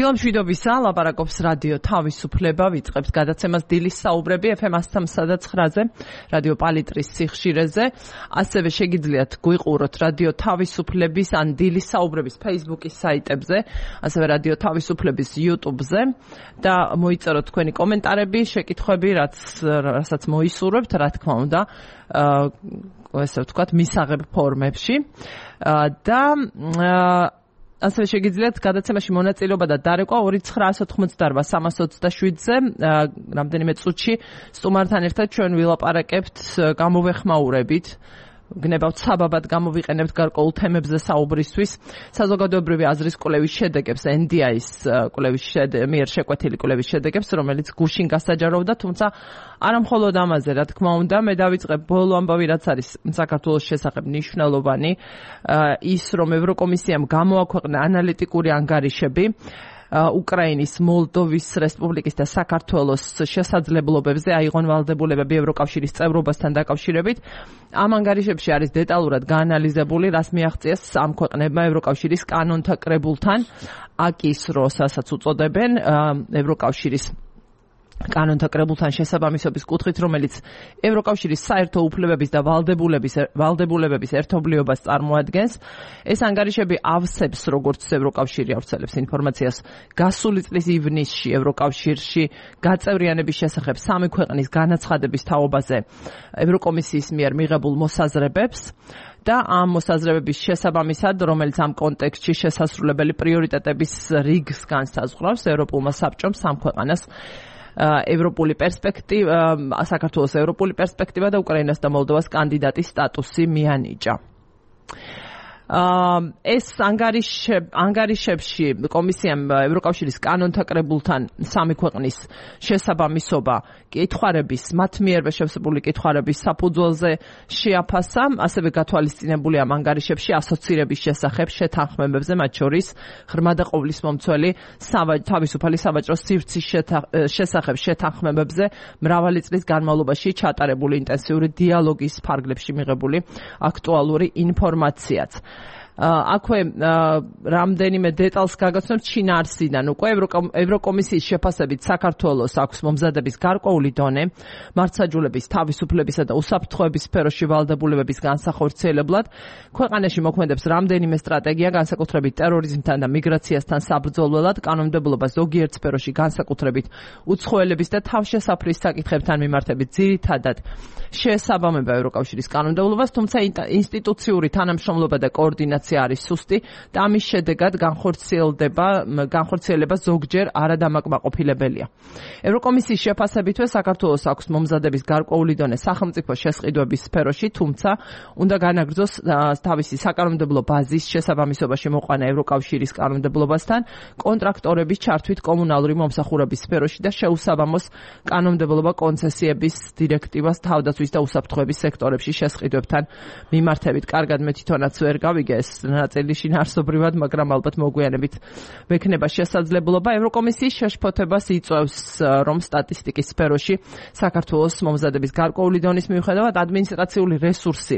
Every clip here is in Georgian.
დილა მშვიდობისა, ლაპარაკობს რადიო თავისუფლება, ვიწყებს გადაცემას დილის საუბრები FM 103.9-ზე, რადიო პალიტრის სიხშირეზე. ასევე შეგიძლიათ გვიყუროთ რადიო თავისუფლების ან დილის საუბრების Facebook-ის საიტებზე, ასევე რადიო თავისუფლების YouTube-ზე და მოიწეროთ თქვენი კომენტარები, შეკითხვები, რასაც მოისურვებთ, რა თქმა უნდა, ესე ვთქვათ, მისაღებ ფორმებში და ასევე შეგიძლიათ გადაცემაში მონაწილეობა და დარეკვა 2988327-ზე. რამდენიმე წუთში სტუმართან ერთად ჩვენ ვილაპარაკებთ, გამოვეხმაურებით, გნებავთ საბაბად გამოვიყენებთ გარკვეულ თემებზე საუბრისთვის, საზოგადოებრივი აზრის კვლევის შედეგებს, NDI-ის კვლევის მიერ შეკვეთილი კვლევის შედეგებს, რომელიც გუშინ გასაჯაროვდა, თუმცა არა მხოლოდ ამაზე, რა თქმა უნდა, მე დავიწყებ ბოლო ამბავი, რაც არის საქართველოს შესახებ მნიშვნელოვანი, ის რომ ევროკომისიამ გამოაქვეყნა ანალიტიკური ანგარიშები უკრაინის, მოლდოვის რესპუბლიკის და საქართველოს შესაძლებლობებზე აიღონ ვალდებულებები ევროკავშირის წევრობასთან დაკავშირებით. ამ ანგარიშებში არის დეტალურად გაანალიზებული, რას მიაღწიეს ამ ქვეყნებმა ევროკავშირის კანონთა კრებულთან, აკის როსაც უწოდებენ ევროკავშირის კანონთა კრებულთან შესაბამისობის კუთხით, რომელიც ევროკავშირის საერთო უფლებების და ვალდებულებების ერთობლიობას წარმოადგენს. ეს ანგარიშები ავსებს, როგორც ევროკავშირი ავრცელებს ინფორმაციას, გასული წლის ივნისში ევროკავშირში გაწევრიანების შესახებ 3 ქვეყნის განაცხადების თაობაზე ევროკომისიის მიერ მიღებულ მოსაზრებებს და ამ მოსაზრებების შესაბამისად, რომელიც ამ კონტექსტში შესასრულებელი პრიორიტეტების რიგს განსაზღვრავს, ევროპულმა საბჭომ სამ ქვეყანას ევროპული პერსპექტივა, საქართველოს ევროპული პერსპექტივა და უკრაინას და მოლდოვას კანდიდატის სტატუსი მიანიჭა. ეს ანგარიშებში კომისიამ ევროკავშირის კანონთა კრებულთან 3 ქვეყნის შესაბამისობა კითხვარების, მათ მიერვე შევსებული კითხვარების საფუძველზე შეაფასა, ასევე გათვალისწინებული ამ ანგარიშებში ასოცირების შესახებ შეთანხმებებზე, მათ შორის ღრმა და ყოვლისმომცველი თავისუფალი სავაჭრო სივრცის შესახებ შეთანხმებებზე მრავალი წლის განმავლობაში ჩატარებული ინტენსიური დიალოგის ფარგლებში მიღებული აქტუალური ინფორმაციაც. აქვე რამდენიმე დეტალს გაგაცნობთ შინაარსიდან. უკვე ევროკომისიის შეფასებით საქართველოს აქვს მომზადების გარკვეული დონე მართლმსაჯულების, თავისუფლებისა და უსაფრთხოების სფეროში ვალდებულებების განსახორციელებლად. ქვეყანაში მოქმედებს რამდენიმე სტრატეგია, განსაკუთრებით ტერორიზმთან და მიგრაციასთან საბრძოლველად, კანონმდებლობა ზოგიერთ სფეროში, განსაკუთრებით უცხოელების და თავშესაფრის საკითხებთან მიმართებით ძირითადად შეესაბამება ევროკავშირის კანონმდებლობას, თუმცა ინსტიტუციური თანამშრომლობა და კოორდინაცია არის სუსტი და ამის შედეგად განხორციელება ზოგჯერ არადამაკმაყოფილებელია. ევროკომისიის შეფასებითვე საქართველოს აქვს მომზადების გარკვეული დონე სახელმწიფო შესყიდვების სფეროში, თუმცა უნდა განაგრძოს თავისი საკანონმდებლო ბაზის შესაბამისობაში მოყვანა ევროკავშირის კანონმდებლობასთან, კონტრაქტორების ჩართვით კომუნალური მომსახურების სფეროში და შეუსაბამოს კანონმდებლობა კონცესიების დირექტივას თავდაცვის და უსაფრთხოების სექტორებში შესყიდვებთან მიმართებით. კარგად, მე თვითონაც ვერ გავიგე ეს ნაწილი შინაარსობრივად, მაგრამ ალბათ მოგვიანებით მექნება შესაძლებლობა. ევროკომისიის შეშფოთებას იწვევს, რომ სტატისტიკის სფეროში საქართველოს მომზადების გარკვეული დონის მიუხედავად ადმინისტრაციული რესურსი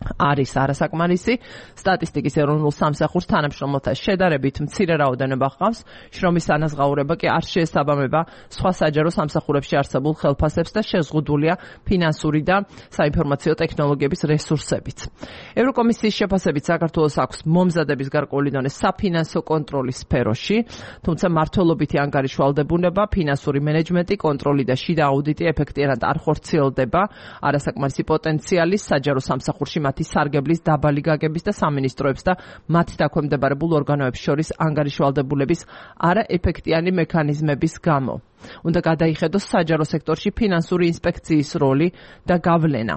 არის არასაკმარისი. სტატისტიკის ეროვნულ სამსახურს თანამშრომელთა შედარებით მცირე რაოდენობა ჰყავს, შრომის ანაზღაურება კი არ შეესაბამება სხვა საჯარო სამსახურებში არსებულ ხელფასებს და შეზღუდულია ფინანსური და საინფორმაციო ტექნოლოგიების რესურსებით. ევროკომისიის შეფასებით საქართველოს აქვს მომზადების გარკვეული დონე საფინანსო კონტროლის სფეროში, თუმცა მართლობითი ანგარიშვალდებულება, ფინანსური მენეჯმენტი, კონტროლი და შიდა აუდიტი ეფექტიანად არ ხორციელდება, არასაკმარისი პოტენციალი საჯარო სამსახურში მათი სარგებლის დაბალი გაგების და სამინისტროებს და მათ დაქვემდებარებულ ორგანოებს შორის ანგარიშვალდებულების არაეფექტიანი მექანიზმების გამო. უნდა გადაიხედოს საჯარო სექტორში ფინანსური ინსპექციის როლი და გავლენა.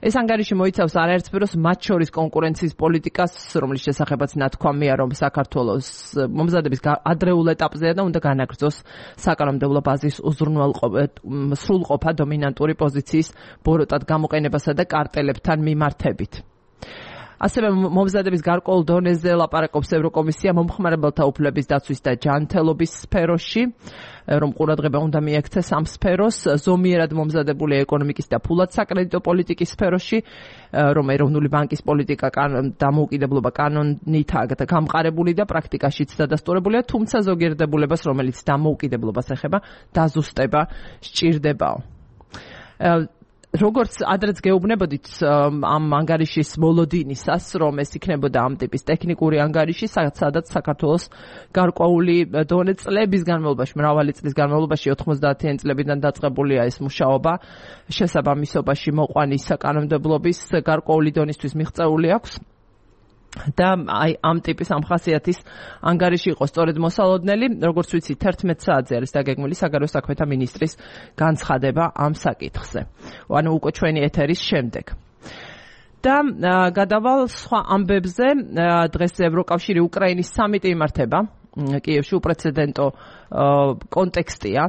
ეს ანგარიში მოიცავს არაერთ სფეროს, მათ შორის კონკურენციის პოლიტიკას, რომლის შესახებაც ნათქვამია, რომ საქართველოს მომზადების ადრეულ ეტაპზეა და უნდა განაგრძოს საკანონმდებლო ბაზის სრულყოფა დომინანტური პოზიციის ბოროტად გამოყენებასა და კარტელებთან მიმართებით. ასევე მომზადების გარკვეულ დონეზე ლაპარაკობს ევროკომისია მომხმარებელთა უფლების დაცვის და ჯანმრთელობის სფეროში, რომ ყურადღება უნდა მიექცეს ამ სფეროს, ზომიერად მომზადებული ეკონომიკის და ფულად საკრედიტო პოლიტიკის სფეროში, რომ ეროვნული ბანკის პოლიტიკა დამოუკიდებლობა კანონითაა გამყარებული და პრაქტიკაშიც დადასტურებულია, თუმცა ზოგიერთ დებულებას, რომელიც დამოუკიდებლობას ეხება, დაზუსტება სჭირდებაო. როგორც ადრეც გეუბნებოდით ამ ანგარიშის მოლოდინისას, რომ ეს იქნებოდა ამ ტიპის ტექნიკური ანგარიში, სადაც საქართველოს გარკვეული დონე წლების განმავლობაში, მრავალი წლის განმავლობაში 90-იან წლებიდან დაწყებულია ეს მუშაობა, შესაბამისობაში მოყვანის საკანონმდებლობის გარკვეული დონისთვის მიღწეული აქვს. და აი ამ ტიპის ამ ხასიათის ანგარიში იყო სწორედ მოსალოდნელი, როგორც ვიცი 11 საათზე არის დაგეგმილი საგარეო საქმეთა მინისტრის განცხადება ამ საკითხზე. ანუ უკვე ჩვენი ეთერის შემდეგ. და გადავალ სხვა ამბებზე, დღეს ევროკავშირი უკრაინის სამიტი იმართება. კიევში უპრეცედენტო კონტექსტია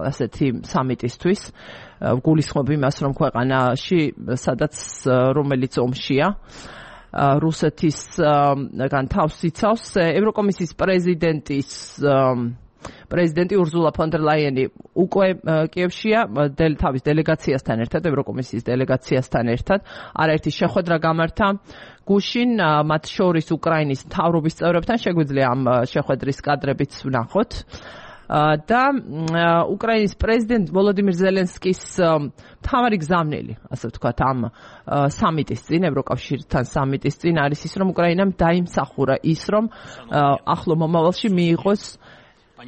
ასეთი სამიტისთვის. გულისხმობ იმას, რომ ქვეყანაში, სადაც რომელიც ომშია, რუსეთისგან თავს იცავს ევროკომისიის პრეზიდენტი ურზულა ფონ დერ ლაიენი უკვე კიევშია თავის დელეგაციასთან ერთად, ევროკომისიის დელეგაციასთან ერთად, არაერთი შეხვედრა გამართა გუშინ, მათ შორის უკრაინის მთავრობის წევრებთან, შეგვიძლია ამ შეხვედრის კადრებიც ვნახოთ. და უკრაინის პრეზიდენტ ვოლოდიმირ ზელენსკის მთავარი გზავნილი, ასე ვთქვათ, ამ სამიტის წინ, ევროკავშირთან სამიტის წინ არის ის, რომ უკრაინამ დაიმსახურა ის, რომ ახლო მომავალში მიიღოს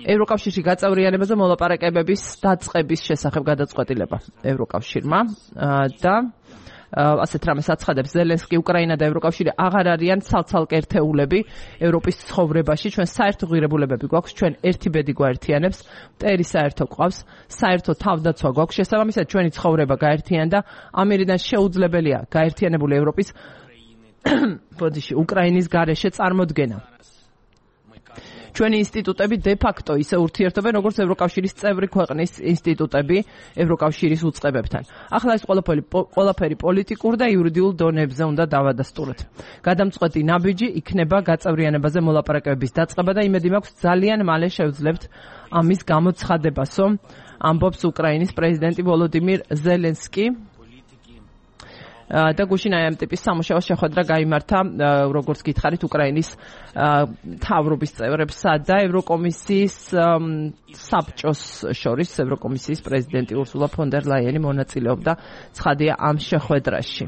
ევროკავშირში გაწევრიანებაზე მოლაპარაკებების დაწყების შესახებ გადაწყვეტილება ევროკავშირმა და ასეთ რამეს აცხადებს ზელენსკი, უკრაინა და ევროკავშირი აღარ არიან ცალ-ცალკე ერთეულები ევროპის ცხოვრებაში, ჩვენ საერთო ღირებულებები გვაქვს, ჩვენ ერთი ბედი გვაერთიანებს, მტერი საერთო გვყავს, საერთო თავდაცვა გვაქვს, შესაბამისად ჩვენი ცხოვრება გაერთიანდა, ამერიდან შეუძლებელია გაერთიანებული ევროპის უკრაინის გარეშე წარმოდგენა. ჩვენი ინსტიტუტები დე-ფაქტო ისე ურთიერთობენ, როგორც ევროკავშირის წევრი ქვეყნის ინსტიტუტები ევროკავშირის უწყებებთან. ახლა ეს ყველაფერი პოლიტიკურ და იურიდიულ დონეებზე უნდა დავადასტუროთ. გადამწყვეტი ნაბიჯი იქნება გაწევრიანებაზე მოლაპარაკებების დაწყება და იმედი მაქვს ძალიან მალე შევძლებთ ამის გამოცხადებასო, ამბობს უკრაინის პრეზიდენტი ვოლოდიმირ ზელენსკი. და გუშინ ამ ტიპის სამუშაო შეხვედრა გაიმართა, როგორც გითხარით, უკრაინის მთავრობის წევრებსა და ევროკომისიის საბჭოს შორის, ევროკომისიის პრეზიდენტი ურსულა ფონ დერ ლაიენი მონაწილეობდა, ცხადია, ამ შეხვედრაში.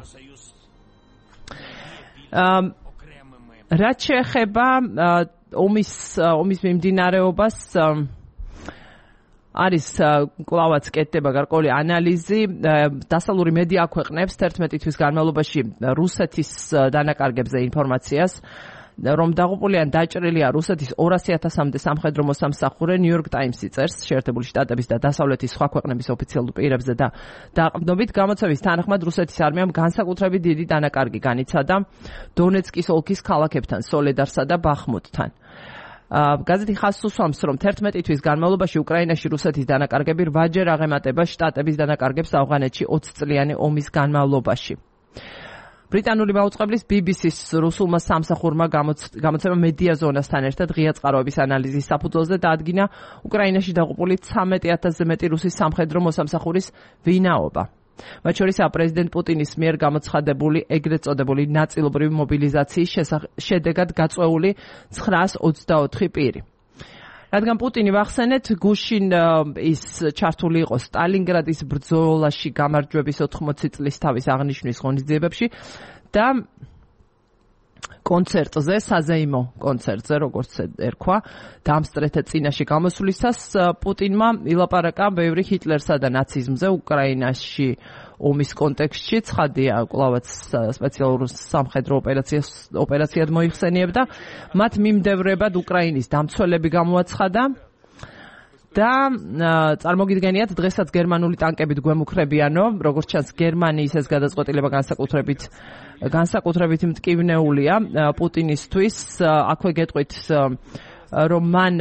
რაც შეეხება ომის მიმდინარეობას, არის კლავაც კეთდება გარკვეული ანალიზი, დასავლური მედია აქვეყნებს 11 თვის განმავლობაში რუსეთის დანაკარგებზე ინფორმაციას, რომ დაღუპული ან დაჭრილია რუსეთის 200,000-მდე სამხედრო მოსამსახურე, ნიუ-იორკ ტაიმსი წერს, შეერთებული შტატების და დასავლეთის სხვა ქვეყნების ოფიციალურ პირებზე და დაყრდნობით გამოცემის თანახმად რუსეთის არმიამ განსაკუთრებით დიდი დანაკარგი განიცადა დონეცკის ოლქის ქალაქებთან, სოლედარსა და ბახმუტთან. გაზეთი ხაზს უსვამს, რომ 11 თვის განმავლობაში უკრაინაში რუსეთის დანაკარგები 8-ჯერ აღემატება შტატების დანაკარგებს ავღანეთში 20 წლიანი ომის განმავლობაში. ბრიტანული მაუწყებლის BBC-ს რუსულმა სამსახურმა გამოცემა მედია ზონასთან ერთად ღია წყაროების ანალიზის საფუძველზე დაადგინა უკრაინაში დაღუპული 13,000-ზე მეტი რუსის სამხედრო მოსამსახურის ვინაობა. მათ შორისაა პრეზიდენტ პუტინის მიერ გამოცხადებული ეგრეთ წოდებული ნაწილობრივი მობილიზაციის შედეგად გაწვეული 924 პირი. რადგან პუტინი ვახსენეთ, გუშინ ის ჩართული იყო სტალინგრადის ბრძოლაში გამარჯვების 80 წლის თავის აღნიშვნის ღონისძიებებში და კონცერტზე, საზეიმო კონცერტზე, როგორც ერქვა, დამსწრეთა წინაშე გამოსვლისას პუტინმა ილაპარაკა ბევრი ჰიტლერსა და ნაციზმზე უკრაინაში ომის კონტექსტში, ცხადია, კლავაც სპეციალურ სამხედრო ოპერაციად მოიხსენიებდა, მათ მიმდევრებად უკრაინის დამცველები გამოაცხადა და წარმოგიდგენიათ, დღესაც გერმანული ტანკებით გვემუქრებიანო, როგორც ჩანს, გერმანიის ეს გადაწყვეტილება განსაკუთრებით მტკივნეულია პუტინისთვის. აქვე გეტყვით, რომ მან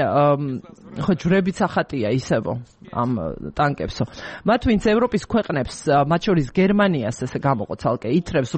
ჯვრებით ახატია ისევო ამ ტანკებსო. მათ ვინც ევროპის ქვეყნებს, მათ შორის გერმანიას ესე გამოყო ცალკე, ითრევს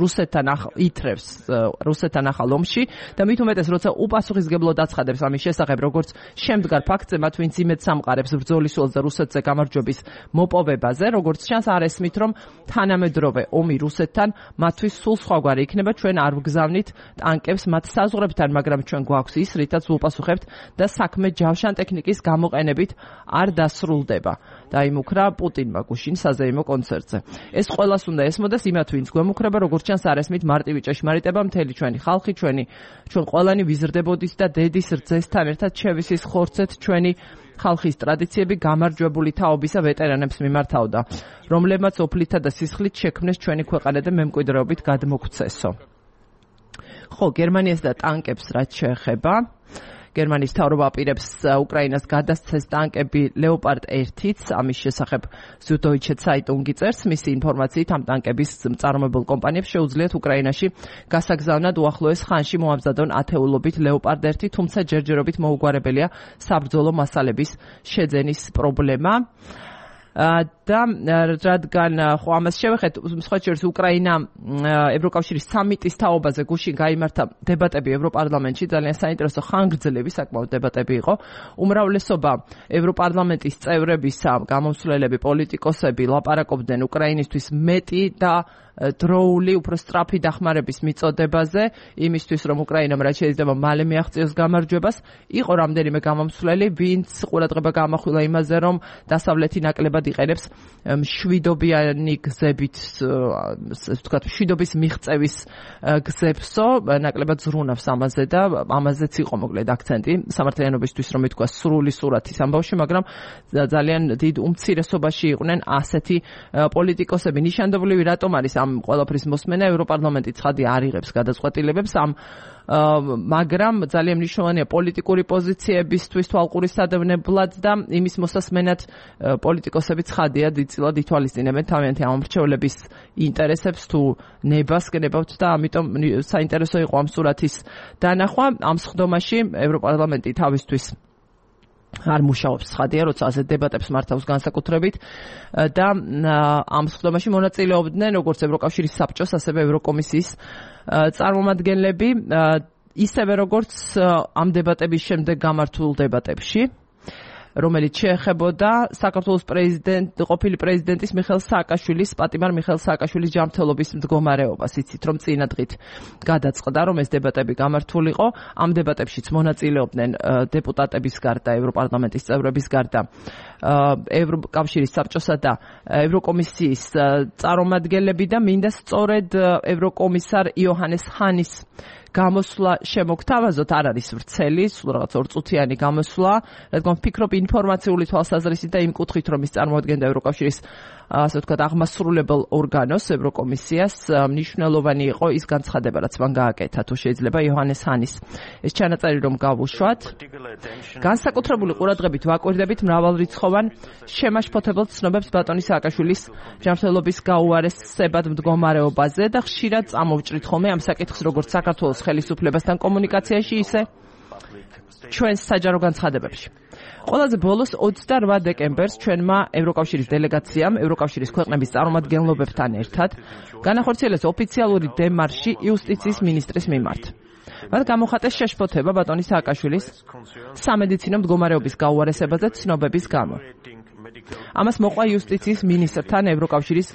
რუსეთთან ახალ ომში და მით უმეტეს როცა უპასუხისმგებლოდ აცხადებს ამის შესახებ, როგორც შემდგარ ფაქტზე, მათ ვინც იმედს ამყარებს ბრძოლის ველს და რუსეთზე გამარჯვების მოპოვებაზე, როგორც ჩანს არ ესმით, რომ თანამედროვე ომი რუსეთთან მათთვის სულ სხვაგვარი იქნება, ჩვენ არ ვგზავნით ტანკებს მათ საზღვრებთან, მაგრამ ჩვენ გვაქვს ის, რითაც ვუპასუხებთ და საქმე ჯავშან ტექნიკის გამოყენებით არ დასრულდება. დაიმუქრა პუტინმა გუშინ საზეიმო კონცერტზე. ეს ყველას უნდა ესმოდეს იმათ, ვინც გვემუქრება, როგორც ჩანს არ ესმით მარტივი ჭეშმარიტება, მთელი ჩვენი ხალხი, ჩვენ ყველანი ვიზრდებოდით და დედის რძესთან ერთად შევისის ხორცეთ ჩვენი ხალხის ტრადიციები გამარჯვებული თაობისა ვეტერანებს მიმართავდა, რომლებმაც ოფლითა და სისხლით შექმნეს ჩვენი ქვეყანა და მემკვიდრეობით გადმოგვცესო. ხო, გერმანიას და ტანკებს რაც შეეხება, გერმანიის მთავრობა აპირებს უკრაინას გადასცეს ტანკები ლეოპარდ 1-იც, ამის შესახებ Süddeutsche Zeitung წერს, მისი ინფორმაციით ამ ტანკების მწარმოებელ კომპანიებს შეუძლიათ უკრაინაში გასაგზავნად უახლოეს ხანში მოამზადონ ათეულობით ლეოპარდ 1, თუმცა ჯერჯერობით მოუგვარებელია საბრძოლო მასალების შეძენის პრობლემა. და რადგან ხო ამას შევეხეთ, სხვა შორის უკრაინა ევროკავშირის სამიტის თაობაზე გუშინ გაიმართა დებატები ევროპარლამენტში, ძალიან საინტერესო ხანგრძლივი საკმაოდ დებატები იყო. უმრავლესობა ევროპარლამენტის წევრებისა, გამომსვლელები, პოლიტიკოსები ლაპარაკობდნენ უკრაინისთვის მეტი და დროული, უფრო სწრაფი დახმარების მიწოდებაზე, იმისთვის რომ უკრაინამ რაც შეიძლება მალე მიაღწიოს გამარჯვებას. იყო რამდენიმე გამომსვლელი, ვინც ყურადღება გამახვილა იმაზე, რომ დასავლეთი ნაკლებად იყენებს მშვიდობიანი გზებით, ვთქვათ, მშვიდობის მიღწევის გზებსო, ნაკლებად ზრუნავს ამაზე და ამაზეც იყო მოკლედ აქცენტი სამართლიანობისთვის, რომ ითქვა სრული სურათის ამბავში, მაგრამ ძალიან დიდ უმცირესობაში იყვნენ ასეთი პოლიტიკოსები. ნიშანდობლივი რატომ არის ამ ყველაფრის მოსმენა? ევროპარლამენტი ცხადი არ იღებს გადაწყვეტილებებს მაგრამ ძალიან მნიშვნელოვანია პოლიტიკური პოზიციებისთვის თვალყურისადევნებლად და იმის მოსასმენად პოლიტიკოსები ცხადია დიდწილად ითვალისწინებენ თავიანთი ამომრჩევლების ინტერესებს თუ ნებას გნებავთ და ამიტომ საინტერესო იყო ამ სურათის დანახვა. ამ სხდომაში ევროპარლამენტი თავისთვის არ მუშაობს, ცხადია, როცა ასეთ დებატებს მართავს განსაკუთრებით და ამ სხდომაში მონაწილეობდნენ როგორც ევროკავშირის საბჭოს, ასევე ევროკომისიის წარმომადგენლები, ისევე როგორც ამ დებატების შემდეგ გამართულ დებატებში, რომელიც შეეხებოდა საქართველოს ყოფილი პრეზიდენტის მიხეილ სააკაშვილის, პატიმარ მიხეილ სააკაშვილის ჯანმრთელობის მდგომარეობას. იცით, რომ წინა დღით გადაწყდა, რომ ეს დებატები გამართულიყო. ამ დებატებშიც მონაწილეობდნენ დეპუტატების გარდა, ევროპარლამენტის წევრების გარდა, ევროკავშირის საბჭოსა და ევროკომისიის წარმომადგენლები და მინდა სწორედ ევროკომისარ იოჰანეს ჰანის გამოსვლა შემოგთავაზოთ, არ არის ვრცელი, სულ რაღაც ორწუთიანი გამოსვლა, რადგან ვფიქრობ ინფორმაციული თვალსაზრისით და იმ კუთხით, რომ ის წარმოადგენდა ევროკავშირის ასე ვთქვათ, აღმასრულებელ ორგანოს, ევროკომისიას, მნიშვნელოვანი იყო ის განცხადება, რაც მან გააკეთა, თუ შეიძლება იოჰანეს ჰანის ეს ჩანაწერი რომ გავუშვათ. განსაკუთრებული ყურადღებით ვაკვირდებით მრავალრიცხოვან შემაშფოთებელ ცნობებს ბატონი სააკაშვილის ჯანმრთელობის გაუარესებად მდგომარეობაზე და ხშირად წამოვჭრით ხოლმე ამ საკითხს როგორც საქართველოს ხელისუფლებასთან კომუნიკაციაში, ისე ჩვენს საჯარო განცხადებებში. ყველაზე ბოლოს 28 დეკემბერს ჩვენმა ევროკავშირის დელეგაციამ ევროკავშირის ქვეყნების წარმომადგენლობებთან ერთად განახორციელეს ოფიციალური დემარში იუსტიციის მინისტრის მიმართ. მათ გამოხატეს შეშფოთება ბატონი სააკაშვილის სამედიცინო მდგომარეობის გაუარესებაზე ცნობების გამო. ამას მოყვა იუსტიციის მინისტრთან ევროკავშირის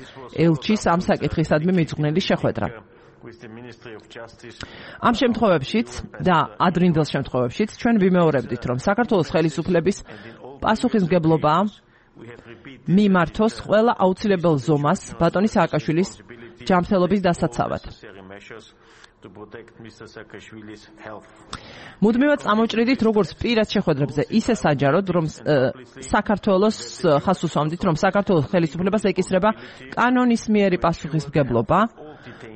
ელჩის ამ საკითხისადმი მიძღვნილი შეხვედრა. ამ შემთხვევებშიც და ადრინდელ შემთხვევებშიც ჩვენ ვიმეორებდით, რომ საქართველოს ხელისუფლების პასუხისმგებლობა მიმართოს ყველა აუცილებელ ზომას ბატონი სააკაშვილის ჯანმრთელობის დასაცავად. მუდმივად წამოვჭრიდით როგორც პირად შეხვედრებზე, ისე საჯაროდ, რომ საქართველოს ხაზს უსვამდით, რომ საქართველოს ხელისუფლებას ეკისრება კანონისმიერი პასუხისმგებლობა,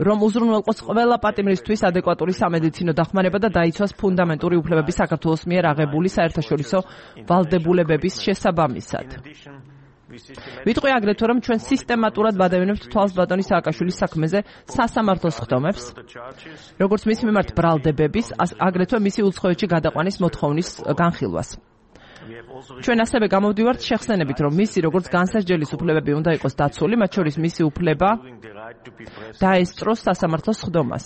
რომ უზრუნველყოს ყველა პატიმრისთვის ადეკვატური სამედიცინო დახმარება და დაიცვას ფუნდამენტური უფლებები საქართველოს მიერ აღებული საერთაშორისო ვალდებულებების შესაბამისად. ვიტყვი აგრეთვე, რომ ჩვენ სისტემატურად ვადევნებთ თვალს ბატონი სააკაშვილის საქმეზე სასამართლო სხდომებს, როგორც მის მიმართ ბრალდებების, აგრეთვე მისი უცხოეთში გადაყვანის მოთხოვნის განხილვას. ჩვენ ასევე გამოვდივართ შეხსენებით, რომ მისი როგორც განსასჯელის უფლებები უნდა იყოს დაცული, მათ შორის მისი უფლება დაესწროს სასამართლოს სხდომას.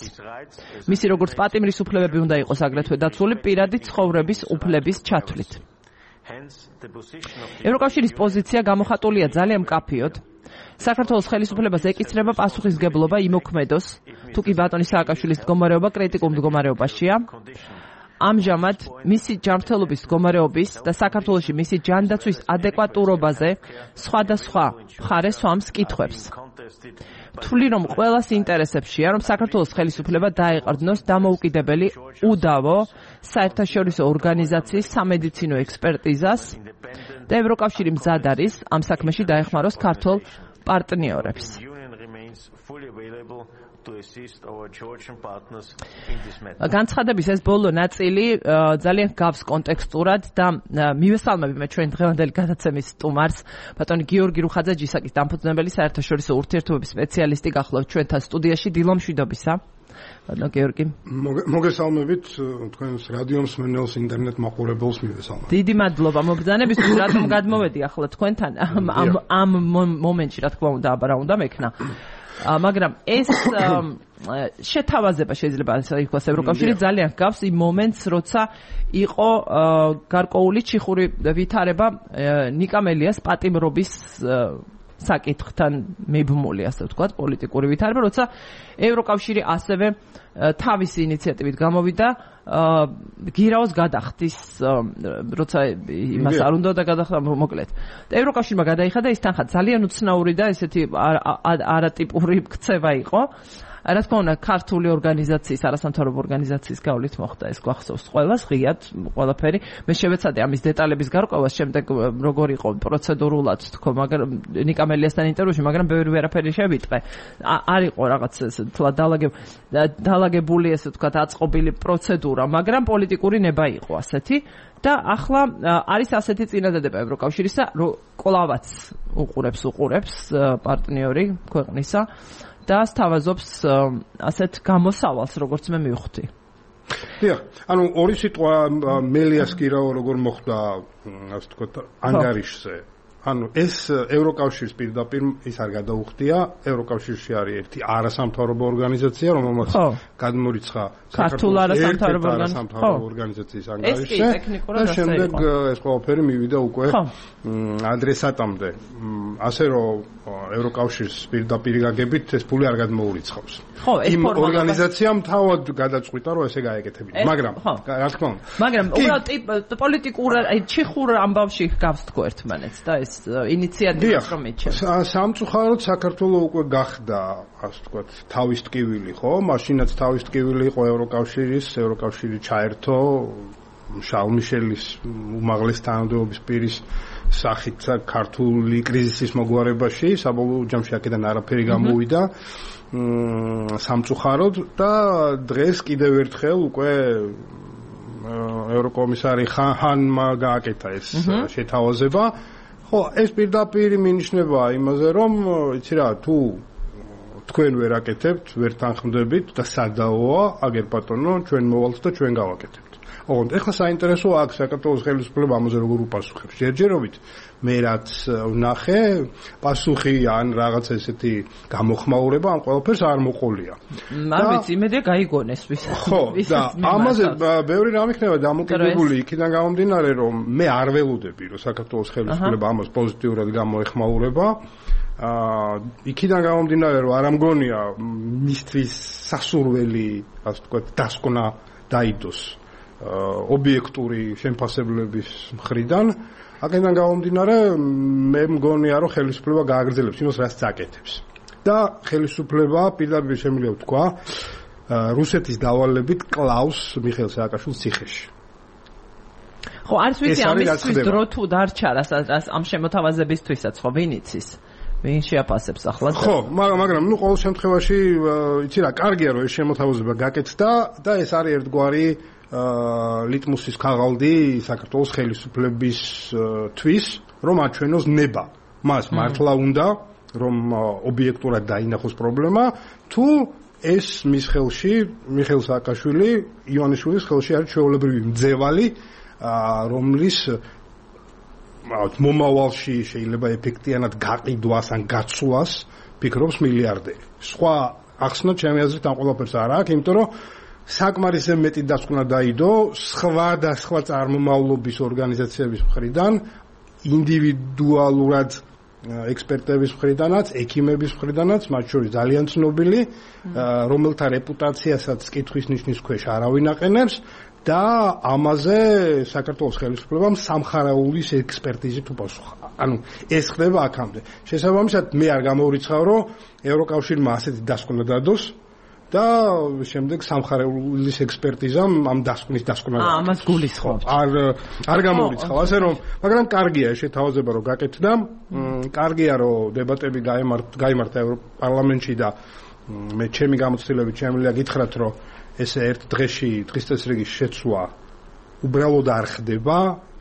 მისი როგორც პატიმრის უფლებები უნდა იყოს აგრეთვე დაცული პირადი ცხოვრების უფლების ჩათვლით. ევროკავშირის პოზიცია გამოხატულია ძალიან მკაფიოდ. საქართველოს ხელისუფლებას ეკისრება პასუხისგებლობა იმოქმედოს, თუ კი ბატონი სააკაშვილის მდგომარეობა კრიტიკულ მდგომარეობაშია. ამჟამად მისი ჯანმრთელობის მდგომარეობის და საქართველოში მისი ჯანდაცვის ადეკვატურობაზე სხვადასხვა მხარე სვამს კითხვებს. თვლი რომ ყველას ინტერესებშია, რომ საქართველოს ხელისუფლება დაეყრდნოს დამოუკიდებელი უდავო საერთაშორისო ორგანიზაციის სამედიცინო ექსპერტიზას და ევროკავშირი მზად არის ამ საქმეში დაეხმაროს ქართულ პარტნიორებს. განცხადების ეს ბოლო ნაწილი ძალიან გავს კონტექსტურად და მივესალმები მე ჩვენ დღევანდელი გადაცემის სტუმარს ბატონი გიორგი რუხაძე-ჯისაკის დამფუძნებელი საერთაშორისო ურთიერთობების სპეციალისტი გახლავთ ჩვენთან სტუდიაში. დილო მშვიდობისა. ბატონო გიორგი. მოგესალმებით თქვენს რადიო მსმენელს, ინტერნეტ მაყურებელს მივესალმებ. დიდი მადლობა მობრძანებისთვის, რატომ გადმოვედი ახლა თქვენთან ამ მომენტში, რა თქმა უნდა, აბა რა უნდა მექნა. მაგრამ ეს შეთავაზება შეიძლება იყოს ევროკავშირი ძალიან გავს იმ მომენტს, როცა იყო გარკვეული ჩიხური ვითარება ნიკა მელიას პატიმრობის საკითხთან მიბმული, ასე ვთქვათ, პოლიტიკური ვითარება, როცა ევროკავშირი ასევე თავისი ინიციატივით გამოვიდა გირაოს გადახდის, როცა იმას არ უნდა და გადახდა მოკლედ. ევროკავშირმა გადაიხადა ის თანხა ძალიან უცნაური და ესეთი არატიპური ქცევა იყო. რა თქმა უნდა, ქართული ორგანიზაციის, არასამთავრობო ორგანიზაციის გავლით მოხდა ეს გვახსოვს ყველას, ღიად ყველაფერი. მე შევეცადე ამის დეტალების გარკვევას, შემდეგ როგორ იყო პროცედურულად თქო, მაგრამ ნიკა მელიასთან ინტერვიუში, მაგრამ ბევრი ვერაფერი შევიტყე. არ იყო რაღაც დალაგებული, ესე ვთქვათ, აწყობილი პროცედურა, მაგრამ პოლიტიკური ნება იყო ასეთი. და ახლა არის ასეთი წინადადება ევროკავშირისა, რომ კლავაც უყურებს პარტნიორი ქვეყნისა და სთავაზობს ასეთ გამოსავალს, როგორც მე მივხვდი. დიახ, ანუ ორი სიტყვა მელიას გირაო როგორ მოხდა, ასე ვთქვათ, ანგარიშზე. ანუ ეს ევროკავშირის პირდაპირ ის არ გადაუხდია, ევროკავშირში არის ერთი არასამთავრობო ორგანიზაცია, რომელმაც გადმორიცხა ქართულ არასამთავრობო ორგანიზაციის ანგარიშზე და შემდეგ ეს ყველაფერი მივიდა უკვე ადრესატამდე. ასე რომ ევროკავშირის პირდაპირ გაგებით ეს ფული არ გადმოურიცხავს. იმ ორგანიზაციამ თავად გადაწყვიტა, რომ ესე გაეკეთებინა. მაგრამ რა თქმა უნდა. მაგრამ უბრალოდ პოლიტიკურ ჩიხურ ამბავში გავს თქო ერთმანეთს და ეს ინიციატივას რომ მიჩნევს. სამწუხაროდ საქართველოს უკვე გახდა, ასე ვთქვათ, თავის ტკივილი, ხო? მაშინაც თავის ტკივილი იყო ევროკავშირი ჩაერთო შარლ მიშელის უმაღლეს თანამდებობის პირის სახით ქართული კრიზისის მოგვარებაში, საბოლოო ჯამში აქედან არაფერი გამოვიდა სამწუხაროდ და დღეს კიდევ ერთხელ უკვე ევროკომისარი ხანმა გააკეთა ეს შეთავაზება. ხო, ეს პირდაპირ მინიშნება იმაზე, რომ იცი რა, თუ თქვენ ვერ აკეთებთ, ვერ თანხმდებით და სადაოა, აგერ ბატონო, ჩვენ მოვალთ და ჩვენ გავაკეთებთ. ოღონდ ეხლა საინტერესოა აქ საქართველოს ხელისუფლება ამაზე როგორ უპასუხებს. ჯერჯერობით მე რაც ვნახე, პასუხი ან რაღაც ესეთი გამოხმაურება ამ ყველაფერს არ მოყოლია. არ ვიცი, იმედია გაიგონეს ვისაც. ხო, და ამაზე ბევრი რამ იქნება დამოკიდებული იქიდან გამომდინარე, რომ მე არ ველოდები, რომ საქართველოს ხელისუფლება ამას პოზიტიურად გამოეხმაურება. იქიდან გამომდინარე, რომ არ ამგონია მისთვის სასურველი, ასე ვთქვათ, დასკვნა დაიდოს ობიექტური შემფასებლების მხრიდან. აქედან გამომდინარე, მე მგონია, რომ ხელისუფლება გააგრძელებს იმას, რაც აკეთებს. და ხელისუფლება პირდაპირ შემიძლია ვთქვა, რუსეთის დავალებით კლავს მიხეილ სააკაშვილის ციხეში. ხო, არც ვიცი ამისთვის დრო თუ დარჩა, ამ შემოთავაზებისთვისაც, ხო, ვინ იცის? ვინ შეაფასებს ახლა? ხო, მაგრამ ნუ ყოველ შემთხვევაში, იცი რა, კარგია რომ ეს შემოთავაზება გაკეთდა და ეს არის ერთგვარი ლიტმუსის ქაღალდი საქართველოს ხელისუფლებისთვის, რომ აჩვენოს ნება. მას მართლა უნდა, რომ ობიექტურად დაინახოს პრობლემა, თუ ეს მის ხელში, მიხეილ სააკაშვილი, ივანიშვილის ხელში არის ჩვეულებრივი მძევალი, რომლის მომავალში შეიძლება ეფექტიანად გაყიდვას ან გაცვლას ფიქრობს მილიარდერი. სხვა ახსნა ჩემი აზრით ამ ყველაფერს არ აქვს, იმიტომ რომ საკმარისზე მეტი დასკვნა დაიდო სხვა და სხვა წარმომავლობის ორგანიზაციების მხრიდან, ინდივიდუალურად ექსპერტების მხრიდანაც, ექიმების მხრიდანაც, მათ შორის ძალიან ცნობილი, რომელთა რეპუტაციასაც კითხვის ნიშნის ქვეშ არავინ აყენებს და ამაზე საქართველოს ხელისუფლებამ სამხარაულის ექსპერტიზით უპასუხა. ანუ ეს ხდება აქამდე. შესაბამისად, მე არ გამოვრიცხავ, რომ ევროკავშირმა ასეთი დასკვნა დადოს და შემდეგ სამხარაულის ექსპერტიზამ ამ დასკვნის დასკვნა ამას გულისხმობთ. არ გამოვრიცხავ, ასე რომ, მაგრამ კარგია შეთავაზება რომ გაკეთდა. კარგია რომ დებატები გაიმართა ევროპარლამენტში და მე ჩემი გამოცდილებით შემიძლია გითხრათ რომ ესე ერთ დღეში დღის წესრიგის შეცვლა უბრალოდ არ ხდება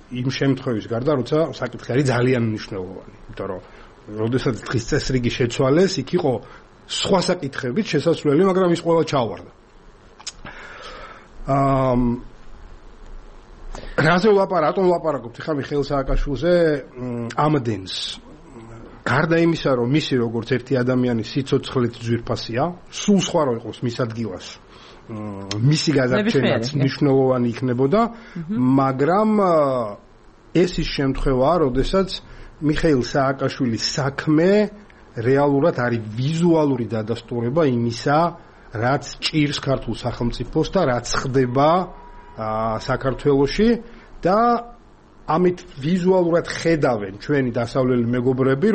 იმ შემთხვევის გარდა როცა საკითხი არის ძალიან მნიშვნელოვანი. იმიტომ რომ როდესაც დღის წესრიგი შეცვალეს, იქ იყო სხვა საკითხებით შესაძლებელი, მაგრამ ის ყველა ჩავარდა. რაზე ვლაპარაკობთ ხა მიხეილ სააკაშვილზე ამდენს. გარდა იმისა, რომ მისი როგორც ერთი ადამიანის სიცოცხლით ძვირფასია, სულ სხვა რო იყოს მის ადგილას. მისი გადარჩენაც მნიშვნელოვანი იქნებოდა, მაგრამ ეს ის შემთხვევაა, როდესაც მიხეილ სააკაშვილის საქმე რეალურად არის ვიზუალური დადასტურება იმისა, რაც ჭირს ქართულ სახელმწიფოს და რაც ხდება საქართველოში და ამით ვიზუალურად ხედავენ ჩვენი დასავლელი მეგობრები,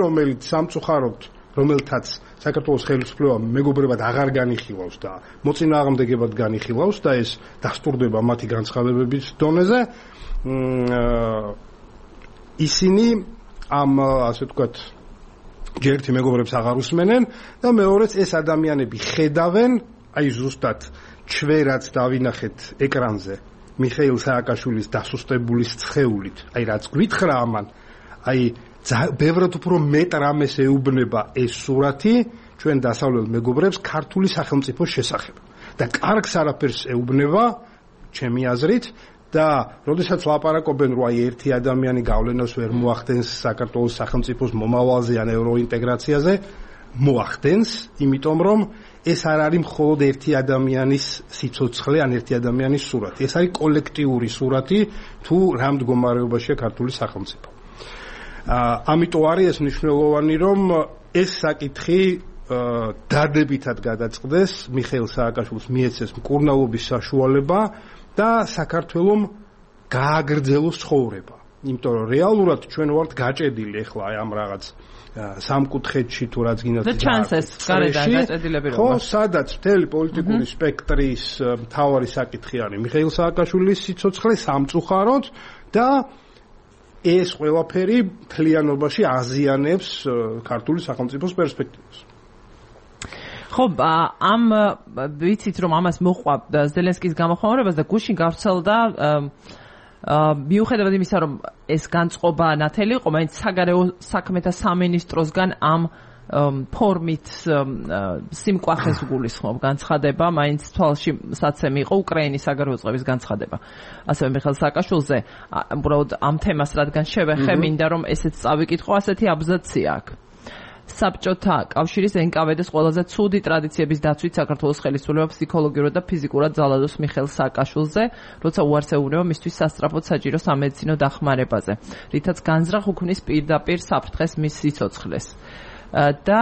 რომელთაც საქართველოს ხელისუფლება მეგობრებად აღარ განიხილავს და მოწინააღმდეგებად განიხილავს და ეს დასტურდება მათი განცხადებების დონეზე. ისინი ამ ასე ვთქვათ ჯერ ერთი მეგობრებს აღარ უსმენენ და მეორეც ეს ადამიანები ხედავენ, აი ზუსტად ჩვენაც დავინახეთ ეკრანზე მიხეილ სააკაშვილის დასუსტებულის ცხეულით, აი რაც გვითხრა ამან, აი ბევრად უფრო მეტ რამეს ეუბნება ეს სურათი ჩვენ დასავლელ მეგობრებს ქართული სახელმწიფოს შესახებ და კარგს არაფერს ეუბნება ჩემი აზრით და როდესაც ლაპარაკობენ რომ აი ერთი ადამიანი გავლენას ვერ მოახდენს საქართველოს სახელმწიფოს მომავალზე ან ევროინტეგრაციაზე, მოახდენს, იმიტომ რომ ეს არ არის მხოლოდ ერთი ადამიანის სიცოცხლე ან ერთი ადამიანის სურათი, ეს არის კოლექტიური სურათი თუ რა მდგომარეობაშია ქართული სახელმწიფო. ამიტომ არის ეს მნიშვნელოვანი, რომ ეს საკითხი დადებითად გადაწყდეს, მიხეილ სააკაშვილს მიეცეს მკურნალობის საშუალება და საქართველოს გააგრძელოს ცხოვრება. იმიტომ რომ რეალურად ჩვენ ვართ გაჭედილი ახლა ამ რაღაც სამკუთხედში თუ რაც გინდათ და ჩანსეს გარედან გაჭედილები რომ ხო, სადაც მთელი პოლიტიკური სპექტრის მთავარი საკითხი არის მიხეილ სააკაშვილის სიცოცხლე სამწუხაროდ და ეს ყველაფერი მთლიანობაში აზიანებს ქართული სახელმწიფოს პერსპექტივას. ხო, ამ ვიცით რომ ამას მოყვა ზელენსკის გამოხმაურებას და გუშინ გავრცელდა მიუხედავად იმისა რომ ეს განწყობა ნათელი იყო, მაინც საგარეო საქმეთა სამინისტროსგან ამ ფორმით სიმკვახეს გულისხმობ განცხადება, მაინც თვალში საცემი იყო უკრაინის საგარეო წყების განცხადება. ასევე მიხეილ სააკაშვილზე უბრალოდ ამ თემას რადგან შევეხე, მინდა რომ ესეც წავიკითხო, ასეთი აბზაცია აქვს. საბჭოთა კავშირის NKVD-ს ყველაზე ცუდი ტრადიციების დაცვით საქართველოს ხელისუფლება ფსიქოლოგიურად და ფიზიკურად ძალადობს მიხეილ სააკაშვილზე, როცა უარს ეუბნება მისთვის სასწრაფოდ საჭირო სამედიცინო დახმარებაზე, რითაც განზრახ უქმნის პირდაპირ საფრთხეს მის სიცოცხლეს. და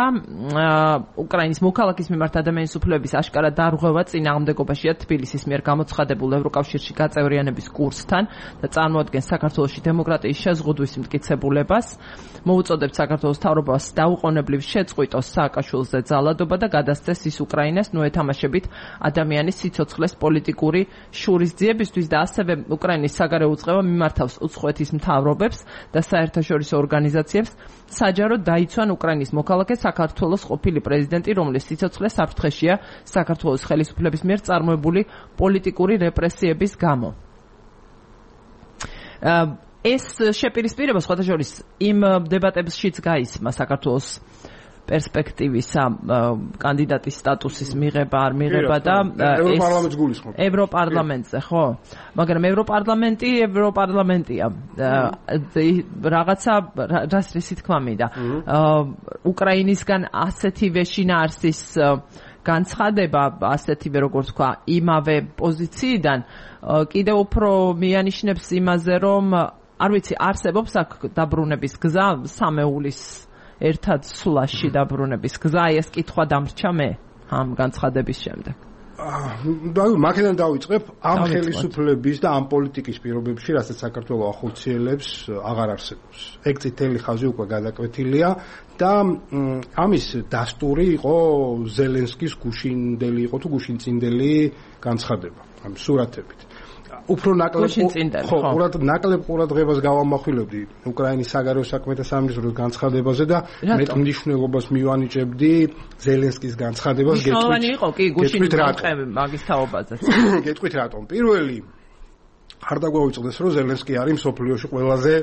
უკრაინის მოქალაქის მიმართ ადამიანის უფლებების აშკარა დარღვევა წინააღმდეგობაშია თბილისის მიერ გამოცხადებულ ევროკავშირში გაწევრიანების კურსთან და წარმოადგენს საქართველოში დემოკრატიის შეზღუდვის მტკიცებულებას. მოუწოდებთ საქართველოს მთავრობას დაუყოვნებლივ შეწყვიტოს სააკაშვილზე ძალადობა და გადასცეს ის უკრაინას ნოეთამაშებით ადამიანის სიცოცხლეს პოლიტიკური შურისძიებისთვის და ასევე უკრაინის საგარეო უწყება მიმართავს უცხოეთის მთავრობებს და საერთაშორისო ორგანიზაციებს საჯაროდ დაიცვან უკრაინის მოქალაქე საქართველოს ყოფილი პრეზიდენტი, რომლის სიცოცხლე საფრთხეშია საქართველოს ხელისუფლების მიერ წარმოებული პოლიტიკური რეპრესიების გამო. ეს შეპირისპირება სხვათა შორის იმ დებატებშიც გაისმა საქართველოს პერსპექტივისა კანდიდატის სტატუსის მიღება არ მიღება და ევროპარლამენტს გულისხმობ. ევროპარლამენტზე, ხო? მაგრამ ევროპარლამენტია. რაღაცა რისი თქმა მინდა. უკრაინისგან ასეთივე შინაარსის განცხადება, ასეთივე როგორც თქვა, იმავე პოზიციიდან კიდევ უფრო მიანიშნებს იმაზე, რომ არ ვიცი, არსებობს აქ დაბრუნების გზა, სამეულის ერთად სულაში დაბრუნების გზა, ეს კითხვა დამრჩა მე ამ განცხადების შემდეგ. მაგიდან დავიწყებ, ამ ხელისუფლების და ამ პოლიტიკის პირობებში, რასაც საქართველოს ახორციელებს, აღარ არსებობს. ეგ წითელი ხაზი უკვე გადაკვეთილია და ამის დასტური იყო ზელენსკის გუშინდელი იყო თუ გუშინწინდელი განცხადება, ამ სურათებით. უფრო ნაკლებ ყურადღებას გავამახვილებდი უკრაინის საგარეო საქმეთა სამინისტროს განცხადებაზე და მეტ მნიშვნელობას მივანიჭებდი ზელენსკის განცხადებას. მნიშვნელოვანი იყო კი გუშინის განწყები მაგის თაობაზე. გეტყვით რატომ? პირველი არ დაგვაუწყდეს რომ ზელენსკი არის მსოფლიოში ყველაზე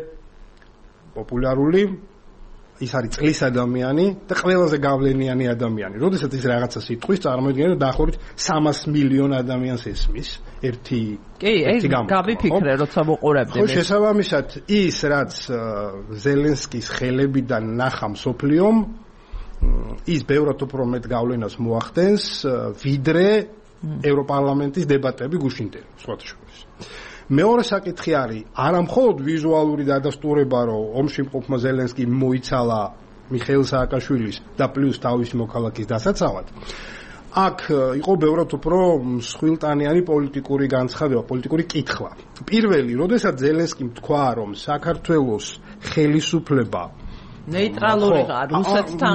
პოპულარული, ის არის წლის ადამიანი და ყველაზე გავლენიანი ადამიანი. როდესაც ის რაღაცას იტყვის, წარმოიდგინეთ რომ დაახლოებით 300 მილიონ ადამიანს ესმის ერთი გავიფიქრე, როცა ვუყურებდი. ხო, შესაბამისად, ის რაც ზელენსკის ხელებიდან ნახა მსოფლიომ, ის ბევრად უფრო მეტ გავლენას მოახდენს, ვიდრე ევროპარლამენტის დებატები გუშინდელი, სხვათა შორის. მეორე საკითხი არის არა მხოლოდ ვიზუალური დადასტურება, რომ ომში მყოფმა ზელენსკიმ მოიცალა მიხეილ სააკაშვილის და პლუს თავისი მოქალაქის დასაცავად. აქ იყო ბევრად უფრო მსხვილტანიანი პოლიტიკური განცხადება, პოლიტიკური კითხვა. პირველი, როდესაც ზელენსკიმ თქვა, რომ საქართველოს ხელისუფლება ნეიტრალურია რუსეთთან.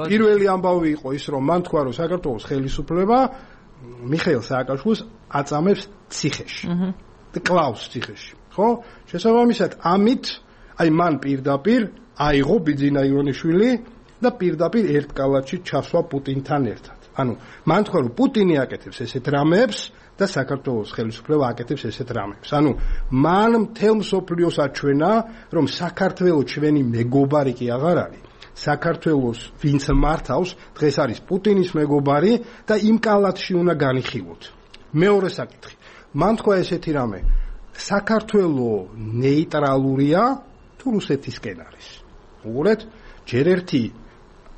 პირველი ამბავი იყო ის, რომ მან თქვა, რომ საქართველოს ხელისუფლება მიხეილ სააკაშვილს აწამებს ციხეში. კლავს ციხეში, ხო? შესაბამისად, ამით მან პირდაპირ აიღო ბიძინა ივანიშვილი და პირდაპირ ერთ კალათში ჩასვა პუტინთან ერთად. მან თქვა, რომ პუტინი აკეთებს ესეთ რამეებს და საქართველოს ხელისუფლება აკეთებს ესეთ რამეებს. მან მთელ მსოფლიოს აჩვენა, რომ საქართველოს ჩვენი მეგობარი კი აღარ არის. საქართველოს ვინც მართავს, დღეს არის პუტინის მეგობარი და იმ კალათში უნდა განიხილოთ. მეორე საკითხი. მან თქვა ესეთი რამე, საქართველოს ნეიტრალურია თუ რუსეთისკენ არის. უყურეთ, ჯერ ერთი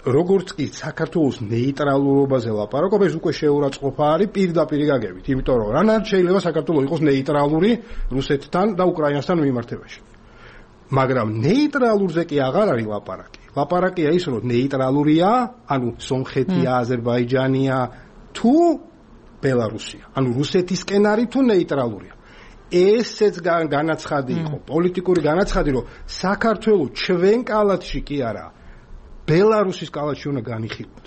როგორც კი საქართველოს ნეიტრალურობაზე ლაპარაკობ, ეს უკვე შეურაცხყოფა არის პირდაპირ გაგებით, იმიტომ რომ რანაირად შეიძლება საქართველოს იყოს ნეიტრალური რუსეთთან და უკრაინასთან მიმართებაში. მაგრამ ნეიტრალურზე კი აღარ არის ლაპარაკი. ლაპარაკია ის, რომ ნეიტრალურია, სომხეთია, აზერბაიჯანია თუ ბელარუსია. რუსეთისკენ არის თუ ნეიტრალურია. ესეც განაცხადი იყო, პოლიტიკური განაცხადი, რომ საქართველოს ჩვენ კალათში კი არა, ბელარუსის კალათში უნდა განიხილოთ.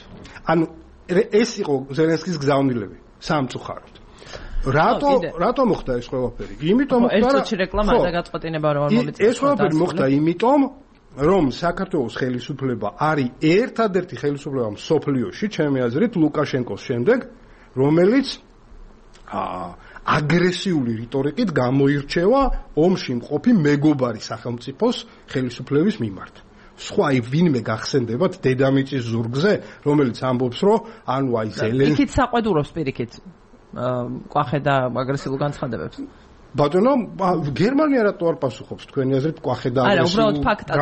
ეს იყო ზელენსკის გზავნილები სამწუხაროდ. რატო მოხდა ეს ყველაფერი? იმიტომ მოხდა, რომ ერთში რეკლამა და გაწყვეტინება რომ არ მომიწევს. ეს ყველაფერი მოხდა იმიტომ, რომ საქართველოს ხელისუფლება არის ერთადერთი ხელისუფლება მსოფლიოში, ჩემი აზრით, ლუკაშენკოს შემდეგ, რომელიც აგრესიული რიტორიკით გამოირჩევა ომში მყოფი მეგობარი სახელმწიფოს ხელისუფლების მიმართ. სხვა ვინმე გახსენდებათ დედამიწის ზურგზე, რომელიც ამბობს, რომ ზელენსკი იქით საყვედურობს პირიქით კვახე და აგრესიულ განცხადებებს. ბატონო, გერმანია რატო არ პასუხობს თქვენი აზრით კვახე და აგრესიულ? არა, უბრალოდ ფაქტად.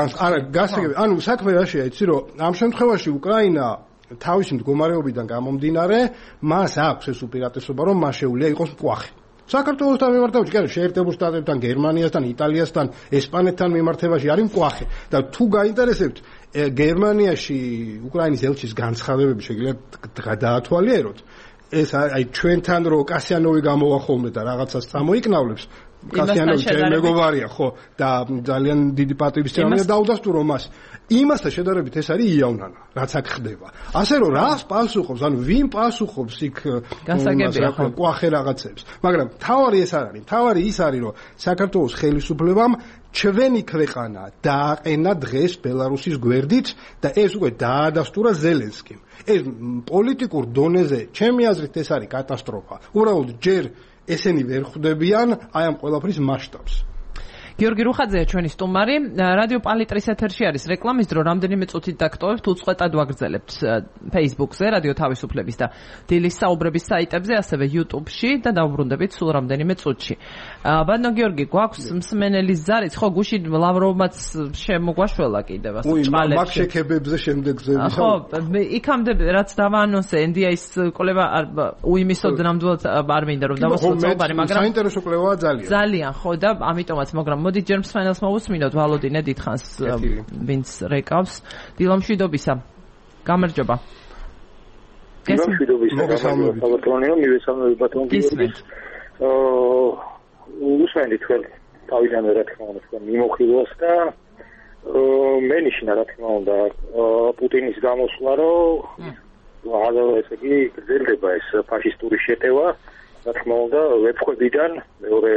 საქმე რაშია, იცი რომ ამ შემთხვევაში უკრაინა თავისი მდგომარეობიდან გამომდინარე, მას აქვს ეს უპირატესობა, რომ მას შეუძლია იყოს მკვახე. საქართველოსთან მიმართებაში, კი არა, შეერთებულ შტატებთან, გერმანიასთან, იტალიასთან, ესპანეთთან მიმართებაში არის მკვახე. და თუ გაინტერესებთ, გერმანიაში უკრაინის ელჩის განცხადებები შეგიძლიათ დაათვალიეროთ. ეს ჩვენთან რო კასიანოვი გამოვა ხოლმე და რაღაცას წამოიკნავლებს, კასიანოვი ჩემი მეგობარია, ხო, და ძალიან დიდი პატივის წამია დაუდასტურო მას. იმასთან შედარებით ეს არის იავნანა, რაც აქ ხდება. ასე რომ რას პასუხობს, ვინ პასუხობს იქ კვახე რაღაცებს. მაგრამ თავარი ეს არ არის. თავარი ის არის, რომ საქართველოს ხელისუფლებამ ჩვენი ქვეყანა დააყენა დღეს ბელარუსის გვერდით და ეს უკვე დაადასტურა ზელენსკიმ. ეს პოლიტიკურ დონეზე, ჩემი აზრით, ეს არის კატასტროფა. უბრალოდ ჯერ ესენი ვერ ხვდებიან ამ ყველაფრის მასშტაბს. გიორგი რუხაძეა ჩვენი სტუმარი. რადიო პალიტრის ეთერში არის რეკლამის დრო, რამდენიმე წუთით დაგტოვებთ, უწყვეტად ვაგრძელებთ Facebook-ზე, რადიო თავისუფლების და დილის საუბრების საიტებზე, ასევე YouTube-ში და დავუბრუნდებით სულ რამდენიმე წუთში. ბატონო გიორგი, გვაქვს მსმენელის ზარიც, ხო, გუშინ ლავროვმაც შემოგვაშველა კიდევ ასე ჭყალებში. მაგ შექებებზე შემდეგზე ვისაუბრეთ. ხო, იქამდე რაც დავაანონსე, NDI-ის კვლევა უიმისოდ ნამდვილად არ მინდა რომ დავასრულო საუბარი, მაგრამ საინტერესო კვლევაა ძალიან. ძალიან, ხო და ამიტომაც, მაგრამ მოდი ჯერ მსმენელს მოვუსმინოთ, ვალოდინე დიდხანს ვინც რეკავს. დილამშვიდობისა. გამარჯობა. დილამშვიდობისა. გამარჯობა, მივესალმები ბატონ გიორგი. უსმენთ თქვენ თავიდანვე რა თქმა უნდა თქვენ მიმოხილვას და მენიშნა რა თქმა უნდა პუტინის გამოსვლა, რომ ესე იგი გრძელდება ეს ფაშისტური შეტევა, რა თქმა უნდა ვეფხვებიდან მეორე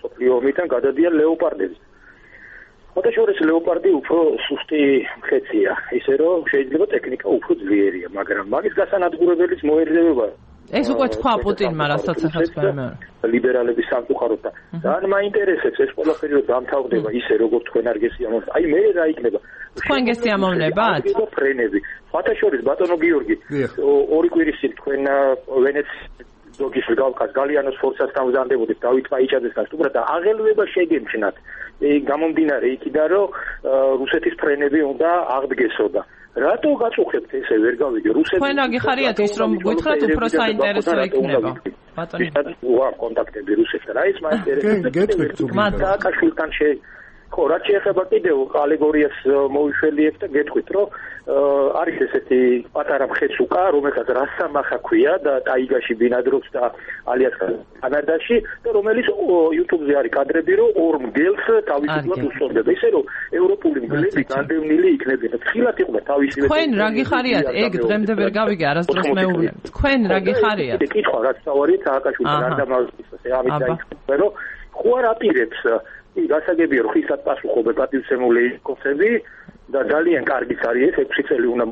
მსოფლიო ომიდან გადადიან ლეოპარდები. ხოთაშორის ლეოპარდი უფრო სუსტი მხეცია, ისე რომ შეიძლება ტექნიკა უფრო ძლიერია, მაგრამ მაგის გასანადგურებელიც მოერზევება. ეს უკვე თქვა პუტინმა, რასაც ახლა თქვენ ლიბერალების სამწუხაროდ და ძალიან მაინტერესებს ეს ყველაფერი რომ დამთავრდება ისე როგორც თქვენ არ გესიამოვნებთ. აი მე რა იქნება? თქვენ გესიამოვნებათ? ფრენები. ხოთაშორის ბატონო გიორგი, ორი კვირის წინ თქვენ ვენეციის ზოგის გავკას გალიანოს ფორცასთან ვზანდებოდით დავით პაიჭაძესთან სტუმრად და აღელვება შეგემჩნათ. გამომდინარე იქიდან რომ რუსეთის ფრენები უნდა აღდგესოდა. რატო გაწუხებთ ესე ვერ გავიგე რუსეთის თქვენ რა გიხარიათ ის რომ გითხრათ უფრო საინტერესო იქნება ბატონი ვარ კონტაქტები რუსეთთან აი ეს მაინტერესებს მათ სააკაშვილთან ხო რაც შეეხება კიდევ ალეგორიას მოვიშველიებ და გეტყვით რომ არის ესეთი პატარა მხეცუკა რომელსაც რასამახა ქვია და ტაიგაში ბინადრობს და ალიას კანადაში და რომელიც YouTube-ზე არის კადრები რომ ორ მგელს თავისუფლად უსწორდება ისე რომ ევროპული მგლები განდევნილი იქნებიან და თხილად იყვნენ თავისივე თქვენ რა გიხარიათ ეგ დღემდე ვერ გავიგე არასდროს მეუბნებ თქვენ რა გიხარიათ კითხვა რაც თავარი სააკაშვილთან არ დამავიწყდეს ამით დაიწყება რომ ხო არ აპირებს გასაგებია რომ ხისად პასუხობენ პატივცემული კონსები და ძალიან კარგიც არის ეს 6 წელი უნდა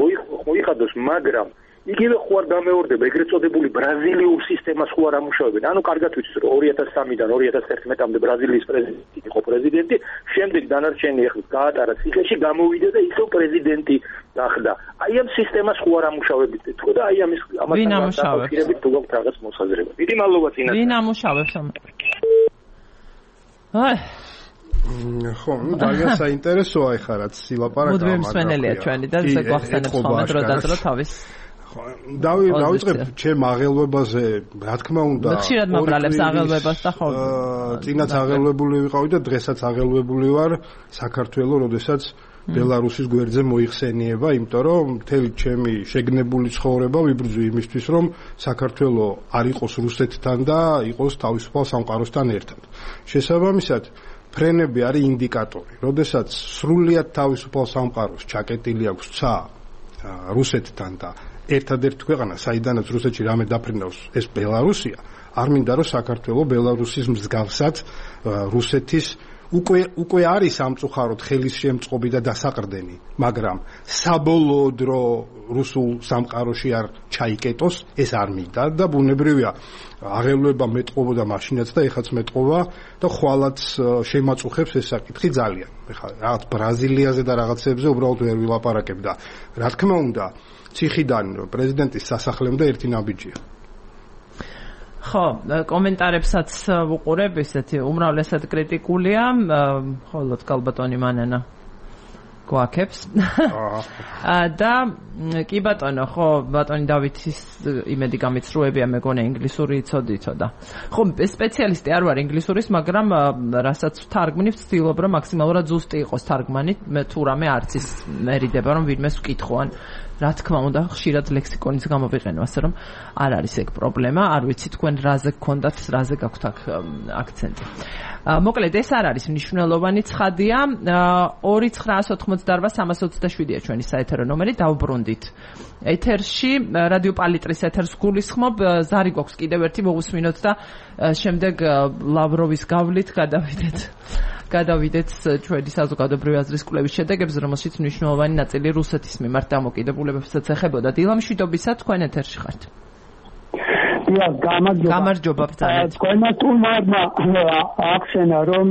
მოიხადოს, მაგრამ იგივე ხო არ გამეორდება ეგრეთ წოდებული ბრაზილიურ სისტემას ხო არ ამუშავებენ. ანუ კარგად ვიცით რომ 2003-დან 2011-მდე ბრაზილიის პრეზიდენტი იყო პრეზიდენტი, შემდეგ დანარჩენი ახლა გაატარა ციხეში, გამოვიდა და ისევ პრეზიდენტი გახდა. აი ამ სისტემას ხო არ ამუშავებით თქო და აი ამის ამასთან თუ გაქვთ რაღაც მოსაზრება. დიდი მადლობა წინათ. ვინ ამუშავებს ამ? ხო, ძალიან საინტერესოა ეხლა რაც სილაპარაკა. მუდმივი მსმენელია ჩვენი და ესე გვახსენებს ხოლმე დრო თავის. ხო, დავიწყებ ჩემ აღელვებაზე, რა თქმა უნდა. ხშირად მაბრალებს აღელვებას და ხო. წინაც აღელვებული ვიყავი და დღესაც აღელვებული ვარ საქართველოს, როდესაც ბელარუსის გვერდზე მოიხსენიება, იმიტომ რომ მთელი ჩემი შეგნებული ცხოვრება ვიბრძვი იმისთვის, რომ საქართველოს არ იყოს რუსეთთან და იყოს თავისუფალ სამყაროსთან ერთად. შესაბამისად, ფრენები არის ინდიკატორი. როდესაც სრულიად თავისუფალ სამყაროს ჩაკეტილი აქვს ცა რუსეთთან და ერთადერთი ქვეყანა, საიდანაც რუსეთში რამე დაფრინავს, ეს ბელარუსია, არ მინდა რომ საქართველოს ბელარუსის მსგავსად რუსეთის უკვე არის სამწუხაროდ ხელის შემწყობი და დასაყრდენი, მაგრამ საბოლოოდ რომ რუსულ სამყაროში არ ჩაიკეტოს, ეს არ მინდა და ბუნებრივია აღელვება მეტყობოდა მაშინაც და ეხაც მეტყობა და ხვალაც შემაწუხებს ეს საკითხი ძალიან. ეხლა რაღაც ბრაზილიაზე და რაღაცებზე უბრალოდ ვერ ვილაპარაკებ და რა თქმა უნდა, ციხიდან პრეზიდენტის სასახლემდე ერთი ნაბიჯია. ხო, კომენტარებსაც ვუყურებ, ესეთი უმრავლესად კრიტიკულია, ხოლო კალბატონი მანანა გვაქებს. და კი ბატონო, ხო, ბატონი დავითის იმედი გამიცრუებია, მეგონა ინგლისური იცოდა. ხო, სპეციალისტი არ ვარ ინგლისურის, მაგრამ რასაც თარგმნი ვცდილობ, რომ მაქსიმალურად ზუსტი იყოს თარგმანი, თუ რამე არც ის მერიდება, რომ ვინმეს ვკითხო. რა თქმა უნდა, ხშირად ლექსიკონის გამოვიყენო, ასე რომ არ არის ეგ პრობლემა, არ ვიცი თქვენ რაზე გქონდათ, რაზე გაქვთ აქცენტი. მოკლედ, ეს არ არის მნიშვნელოვანი ცხადია. 2988-327-ია ჩვენი საეთერო ნომერი, დავბრუნდით. ეთერში, რადიო პალიტრის ეთერს გულისხმობ, ზარი გვაქვს კიდევ ერთი მოვუსმინოთ და შემდეგ ლავროვის გავლით გადავიდეთ ჩვენი საზოგადოებრივი აზრის კვლევის შედეგებს, რომელშიც მნიშვნელოვანი ნაწილი რუსეთის მიმართ დამოკიდებულებებსაც ეხებოდა. დილამშვიდობისა, თქვენ ეთერში ხართ. გამარჯობა ბრძანეთ. თქვენმა თუმარმა აქცენა რომ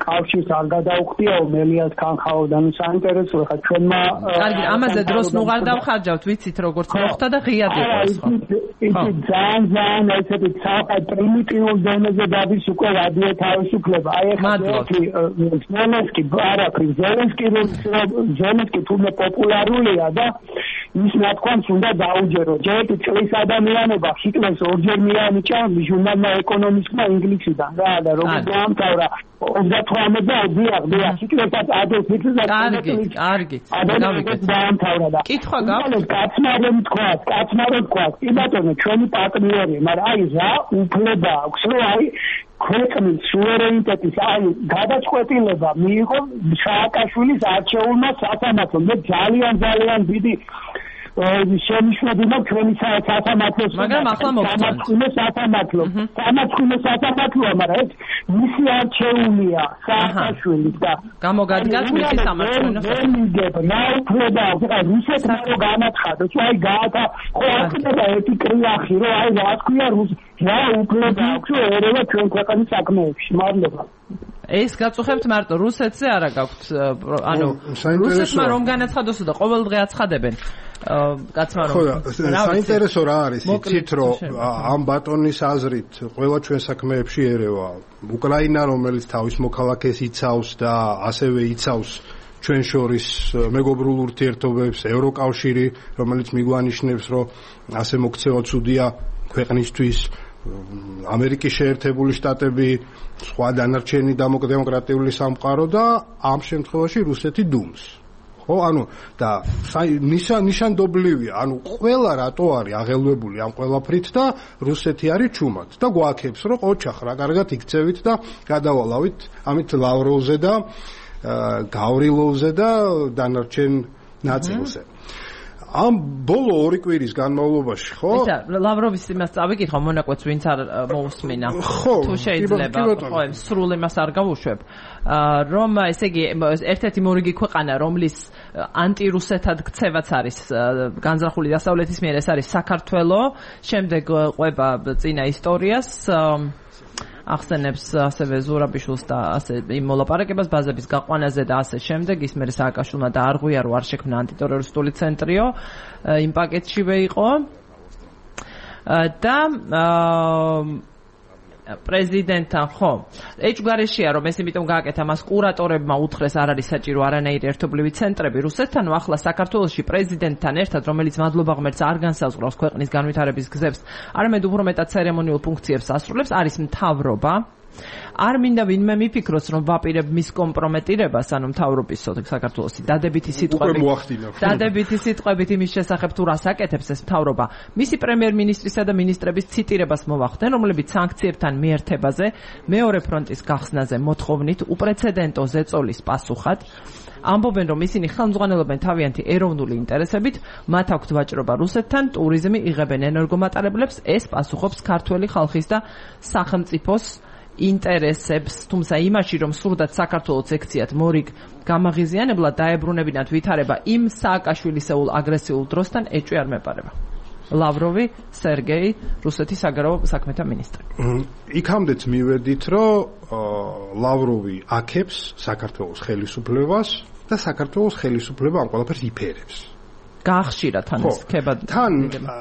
კავშირს არ გადაუხდიაო მელიას ხანხაოდან საინტერესოა ხა ჩვენმა კარგი ამაზე დროს ნუ არ დავხარჯავთ ვიცით როგორც მოხდა და ღიად იყო ეს ხო ის ძალიან ესეთი პრიმიტიულ დონეზე დადის უკვე რადიო თავისუფლება აი ახლა ზელენსკი თუმე პოპულარულია და ის ნათქვამს უნდა დაუჯერო ჯერ წლის ადამიანობა ჰიტლერს ორჯერ მიანიჭა ჟურნალმა ეკონომისტმა ინგლისიდან და როგორ დაამთავრა 38 და დიახ ჰიტლერსაც ადოლფ ჰიტლერს კარგი დაამთავრა და კითხვა გაქვს კაცმა თქვა კი ბატონო ჩვენი პარტნიორია მაგრამ აი რა უფლება აქვს რომ აი ქვეყნის სუვერენიტეტის აი გადაწყვეტილება მიიღო სააკაშვილის არჩეულმა სასამართლომ მე ძალიან დიდი შენიშნები მაქვს ჩვენი სასამართლოს მაგრამ ახლა მოგწონთ სამართლოა მაგრამ ეს მისი არჩეულია სააკაშვილის და გამოგადგათ მისი სამართლო რა უფლება რუსეთმა რო განაცხადოს აი გაათა ხო ახლა ერთი კრიახი რომ აი რა თქვია რა უფლება აქვს ერევა ჩვენ ქვეყნის საქმეებში მადლობა ეს გაწუხებთ მარტო რუსეთზე არა გაქვთ ანუ რუსეთმა რომ განაცხადოსო და ყოველდღე აცხადებენ კაცმა რომ საინტერესო რა არის იცით რომ ამ ბატონის აზრით ყველა ჩვენ საქმეებში ერევა უკრაინა რომელიც თავის მოქალაქეს იცავს და ასევე იცავს ჩვენ შორის მეგობრულ ურთიერთობებს ევროკავშირი რომელიც მიგვანიშნებს რომ ასე მოქცევა ცუდია ქვეყნისთვის ამერიკის შეერთებული შტატები სხვა დანარჩენი დემოკრატიული სამყარო და ამ შემთხვევაში რუსეთი დუმს ხო ანუ და ნიშანდობლივია ანუ ყველა რატო არის აღელვებული ამ ყველაფრით და რუსეთი არის ჩუმად და გვააქებს რომ ოჩახ რა კარგად იქცევით და გადავალავით ამით ლავროვზე და გავრილოვზე და დანარჩენ ნაწილზე ამ ბოლო 2 კვირის განმავლობაში ხო? ისა ლავროვის იმას წავიკითხო მონაკვეთს ვინც არ მოусმინა. თუ შეიძლება ხო სრულ იმას არ გავუშვებ. რომ ესე იგი ერთ-ერთი მორიგი ქვეყანა რომლის ანტირუსეთად ქცევაც არის განზრახული დასავლეთის მიერ ეს არის საქართველო, შემდეგ ყვება წინა ისტორიას ახსენებს ასევე ზურაბიშვილს და ასე იმ მოლაპარაკებას ბაზების გაყვანაზე და ასე შემდეგ ის მე სააკაშვილმა დაარღვია რომ არ შექმნა ანტიტერორისტული ცენტრიო იმ პაკეტშივე იყო და პრეზიდენტთან ხო ეჭვგარეშეა რომ ეს იმიტომ გააკეთა მას კურატორებმა უთხრეს არ არის საჭირო არანაირი ერთობლივი ცენტრები რუსეთთან ახლა საქართველოში პრეზიდენტთან ერთად რომელიც მადლობა ღმერთს არ განსაზღვრავს ქვეყნის განვითარების გზებს არამედ უფრო მეტად ცერემონიულ ფუნქციებს ასრულებს არის მთავრობა არ მინდა ვინმე მიფიქროს რომ ვაპირებ მის კომპრომეტირებას ანუ მთავრობის საქართველოსი დადებითი სიტყვებით იმის შესახებ თუ რას აკეთებს ეს მთავრობა მისი პრემიერ-მინისტრისა და მინისტრების ციტირებას მოვახდენ რომლებიც სანქციებთან მიერთებაზე მეორე ფრონტის გახსნაზე მოთხოვნით უპრეცედენტო ზეწოლის პასუხად ამბობენ რომ ისინი ხელმძღვანელობენ თავიანთი ეროვნული ინტერესებით მათ აქვთ ვაჭრობა რუსეთთან ტურიზმი იღებენ ენერგომატარებლებს ეს პასუხობს ქართველი ხალხის და სახელმწიფოს ინტერესებს თუმცა იმაში რომ სურდათ საქართველოს ექციათ მორიგ გამაღიზიანებლად დაებრუნებინათ ვითარება იმ სააკაშვილისეულ აგრესიულ დროსთან ეჭვი არ მეპარება ლავროვი სერგეი რუსეთის საგარეო საქმეთა მინისტრი იქამდეც მივედით რომ ლავროვი აქებს საქართველოს ხელისუფლებას და საქართველოს ხელისუფლება ამ ყველაფერს ifერებს გაახშირა თან ეს ქებად თან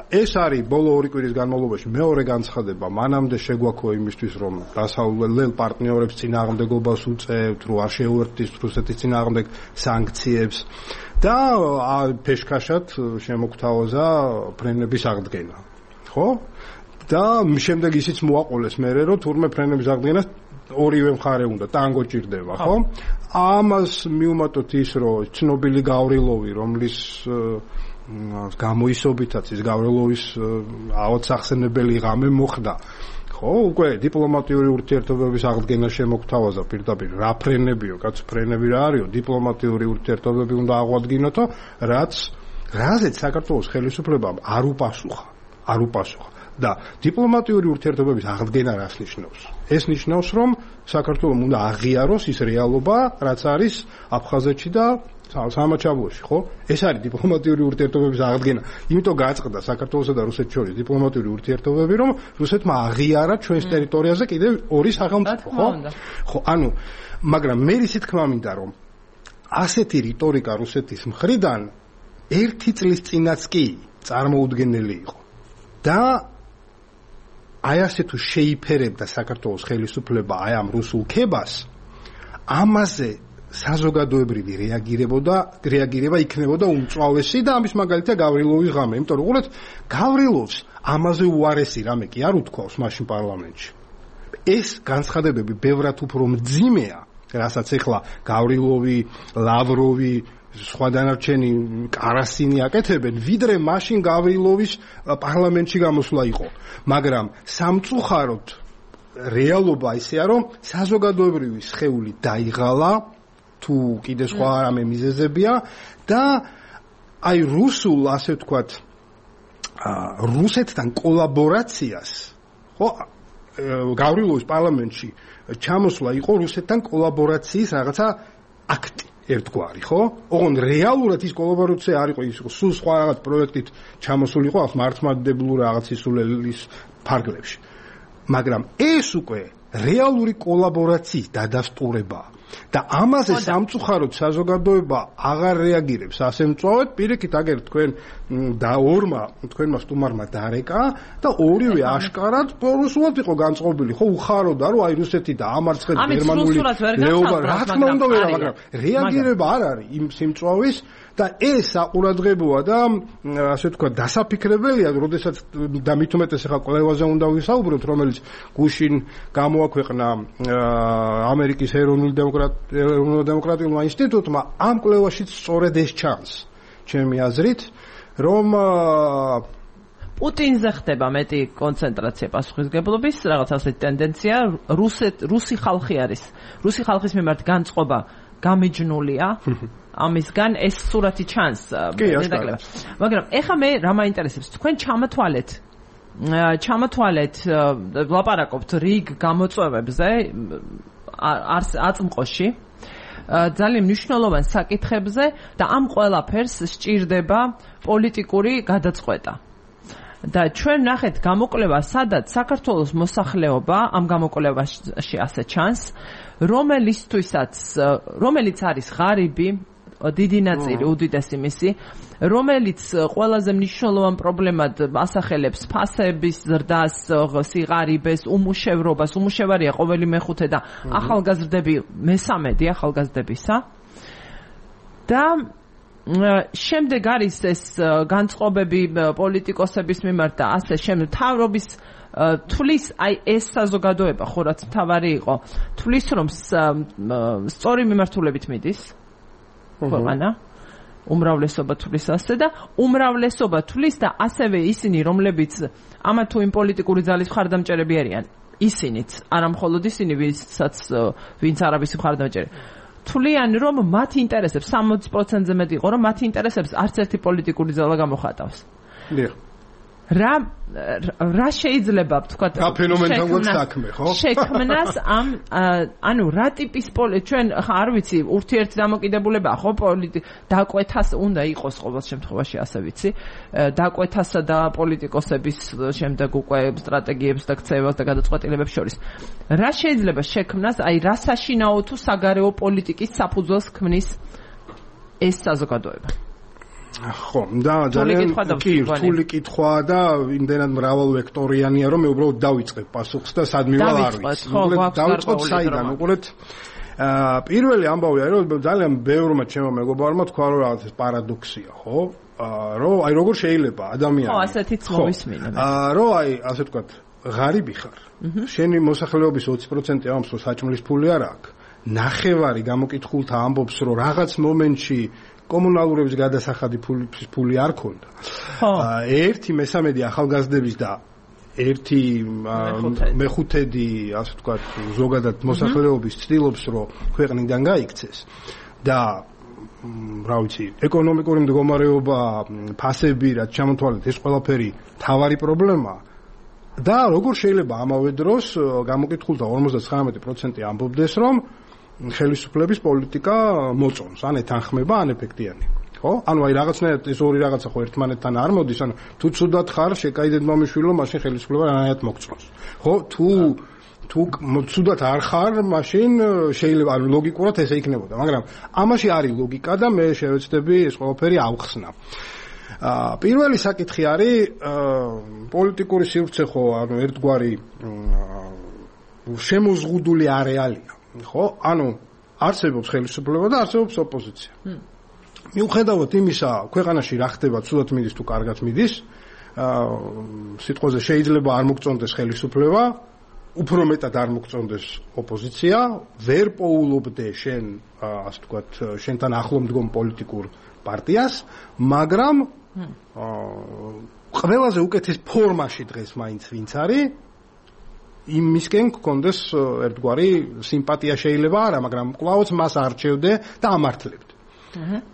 ეს არის ბოლო 2 კვირის განმავლობაში მეორე განცხადება მანამდე შეგვაქო იმისთვის რომ დასავლელ პარტნიორებს წინააღმდეგობას უწევთ რომ არ შეუერთდით რუსეთის წინააღმდეგ სანქციებს და ფეშქაშად შემოგთავაზა ფრენების აღდგენა ხო და შემდეგ ისიც მოაყოლეს მერე რომ თურმე ფრენების აღდგენას ორივე მხარე უნდა ტანგო ჭირდება ხო ამას მიუმატოთ ის რომ ცნობილი გავრილოვი რომლის გამოისობითაც ის გავრილოვის აუცახსენებელი ღამე მოხდა ხო უკვე დიპლომატიური ურთიერთობების აღდგენა შემოგთავაზა პირდაპირ რა ფრენებიო კაც ფრენები რა არისო დიპლომატიური ურთიერთობები უნდა აღვადგინოთო რაზეც საქართველოს ხელისუფლებამ არ უპასუხა და დიპლომატიური ურთიერთობების აღდგენა რას ნიშნავს? ეს ნიშნავს, რომ საქართველოს უნდა აღიაროს ის რეალობა, რაც არის აფხაზეთში და სამაჩაბლოში, ხო? ეს არის დიპლომატიური ურთიერთობების აღდგენა. იმიტომ გააწყდა საქართველოსა და რუსეთს შორის დიპლომატიური ურთიერთობები, რომ რუსეთმა აღიარა ჩვენს ტერიტორიაზე კიდევ ორი სახელმწიფო, ხო? ხო, ანუ, მაგრამ მე ისე თქმა მინდა, რომ ასეთი რიტორიკა რუსეთის მხრიდან 1 წლის წინაც კი წარმოუდგენელი იყო. და აი ასე თუ შეიფერებდა საქართველოს ხელისუფლება აი ამ რუსულ ქებას, ამაზე საზოგადოებრივი რეაგირება იქნებოდა უმწვავესი და ამის მაგალითია გავრილოვის ღამე. იმიტომ რომ უყურეთ, გავრილოვს ამაზე უარესი რამე კი არ უთქვავს მაშინ პარლამენტში. ეს განცხადებები ბევრად უფრო მძიმეა, რასაც ეხლა გავრილოვი, ლავროვი, სხვა დანარჩენი კარასინი აკეთებენ, ვიდრე მაშინ გავრილოვის პარლამენტში გამოსვლა იყო. მაგრამ სამწუხაროდ რეალობა ისეა, რომ საზოგადოებრივი სხეული დაიღალა, თუ კიდე სხვა რამე მიზეზებია და აი რუსულ, ასე ვთქვათ, რუსეთთან კოლაბორაციას, ხო, გავრილოვის პარლამენტში ჩამოსვლა იყო რუსეთთან კოლაბორაციის რაღაცა აქტი. ერთგვარი, ხო? ოღონდ რეალურად ის კოლაბორაცია არ იყო, ის სულ სხვა რაღაც პროექტით ჩამოსული იყო მართლმადიდებლური რაღაც ისულელის ფარგლებში. მაგრამ ეს უკვე რეალური კოლაბორაციის დადასტურებაა. და ამაზე სამწუხაროდ საზოგადოება აღარ რეაგირებს ასე მწვავედ, პირიქით აგერ თქვენმა სტუმარმა დარეკა და ორივე აშკარად რუსულად იყო განწყობილი, ხო, უხაროდა, რომ აი რუსეთი და ამარცხეთ გერმანული ლეოპარდი, რა თქმა უნდა, მაგრამ რეაგირება არ არის იმ სიმწვავის და ეს საყურადღებოა და ასე თქვა დასაფიქრებელია, როდესაც და მით უმეტეს ახლა კვლევაზე უნდა ვისაუბროთ, რომელიც გუშინ გამოაქვეყნა ამერიკის ეროვნულ-დემოკრატიულმა ინსტიტუტმა, ამ კვლევაშიც სწორედ ეს ჩანს, ჩემი აზრით, რომ პუტინზე ხდება მეტი კონცენტრაცია პასუხისგებლობის, რაღაც ასეთი ტენდენცია, რუსი ხალხი არის. რუსი ხალხის მიმართ განწყობა გამიჯნულია. ამისგან ეს სურათი ჩანს. მაგრამ ეხა მე რა მაინტერესებს, თქვენ ჩამოთვალეთ ვლაპარაკობთ რიგ გამოწვევებზე აწმყოში, ძალიან მნიშვნელოვან საკითხებზე და ამ ყველაფერს სჭირდება პოლიტიკური გადაწყვეტა. და ჩვენ ნახეთ გამოკვლევა, სადაც საქართველოს მოსახლეობა ამ გამოკვლევაში ასე ჩანს, რომელიც არის ღარიბი, დიდი ნაწილი, უდიდესი მისი, რომელიც ყველაზე მნიშვნელოვან პრობლემად ასახელებს ფასების ზრდას, სიღარიბეს, უმუშევრობას, უმუშევარია ყოველი მეხუთე და ახალგაზრდები მესამედი ახალგაზრდებისა. და შემდეგ არის ეს განწყობები პოლიტიკოსების მიმართ და ასე შემდეგ თავრობის თulis აი ეს საზოგადოება ხო რაც თავარი იყო თulis რომ სწორი მიმართულებით მიდის ქვეყანა უმრავლესობა თulis ასე და უმრავლესობა თulis და ასევე ისინი რომლებიც ამა თუ იმ პოლიტიკური ძალის მხარდამჭერები არიან ისინიც არა მხოლოდ ისინი ვინც არავის მხარდამჭერი თვლიან რომ მათ ინტერესებს 60%-ზე მეტი იყო რომ მათ ინტერესებს არც ერთი პოლიტიკური ძალა გამოხატავს. რა შეიძლება ვთქვათ შექმნას ამ ანუ რა ტიპის ჩვენ არ ვიცი ურთიერთი დამოკიდებულებაა ხო დაკვეთას უნდა იყოს ყოველ შემთხვევაში ასე ვიცი დაკვეთასა და პოლიტიკოსების შემდეგ უკვე სტრატეგიებს და ქცევას და გადაწყვეტილებებს შორის რა შეიძლება შექმნას აი რა საშინაო თუ საგარეო პოლიტიკის საფუძველს ქმნის ეს საზოგადოება ხო, და ძალიან რთული კითხვა და იმდენად მრავალვექტორიანია, რომ მე უბრალოდ დავიწყებ პასუხს და სად მივალ არ ვიცი. დავიწყოთ საიდან, უყურეთ. პირველი ამბავი არის, რომ ძალიან ბევრმა ჩემო მეგობარმა თქვა, რომ რაღაც პარადოქსია, ხო? რომ აი როგორ შეიძლება ადამიანი ხო, ასეთიც მოვისმინე. რომ აი, ასე ვთქვათ, ღარიბი ხარ. შენი მოსახლეობის 20% ამბობს, რომ საჭმლის ფული არ აქვს. ნახევარი გამოკითხულთა ამბობს, რომ რაღაც მომენტში კომუნალურების გადასახადი ფული არ ქონდა. ერთი მესამედი ახალგაზრდების და ერთი მეხუთედი, ასე ვთქვათ, ზოგადად მოსახლეობის ცდილობს, რომ ქვეყნიდან გაიქცეს და რა ვიცი, ეკონომიკური მდგომარეობა, ფასები, რაც ჩამოთვალეთ, ეს ყველაფერი თავარი პრობლემაა. და როგორ შეიძლება ამავე დროს გამოკითხულთა 59% ამბობდეს, რომ ხელისუფლების პოლიტიკა მოწონს, ან ეთანხმება, ან ეფექტიანი. ხო? ანუ აი რაღაცნაირად ეს ორი რაღაცა ხო ერთმანეთთან არ მოდის, ანუ თუ ცუდად ხარ, შეკაიდეთ მომიშვილო, მაშინ ხელისუფლება რანაირად მოგწონს. ხო? თუ ცუდად არ ხარ, მაშინ შეიძლება ანუ ლოგიკურად ესე იქნებოდა, მაგრამ ამაში არის ლოგიკა და მე შევეცდები ეს ყველაფერი ავხსნა. პირველი საკითხი არის პოლიტიკური სივრცე ხო, ანუ ერთგვარი შემოზღუდული არეალია, ხო? ანუ არსებობს ხელისუფლება და არსებობს ოპოზიცია. მიუხედავად იმისა, ქვეყანაში რა ხდება, ცუდად მიდის თუ კარგად მიდის, სიტყვაზე შეიძლება არ მოგწონდეს ხელისუფლება, უფრო მეტად არ მოგწონდეს ოპოზიცია, ვერ პოულობდე შენ, ასე ვთქვათ, შენთან ახლო მდგომ პოლიტიკურ პარტიას, მაგრამ ყველაზე უკეთეს ფორმაში დღეს მაინც ვინც არის, იმისკენ გქონდეს ერთგვარი სიმპათია შეიძლება არა, მაგრამ კვლავაც მას არჩევდე და ამართლებდე.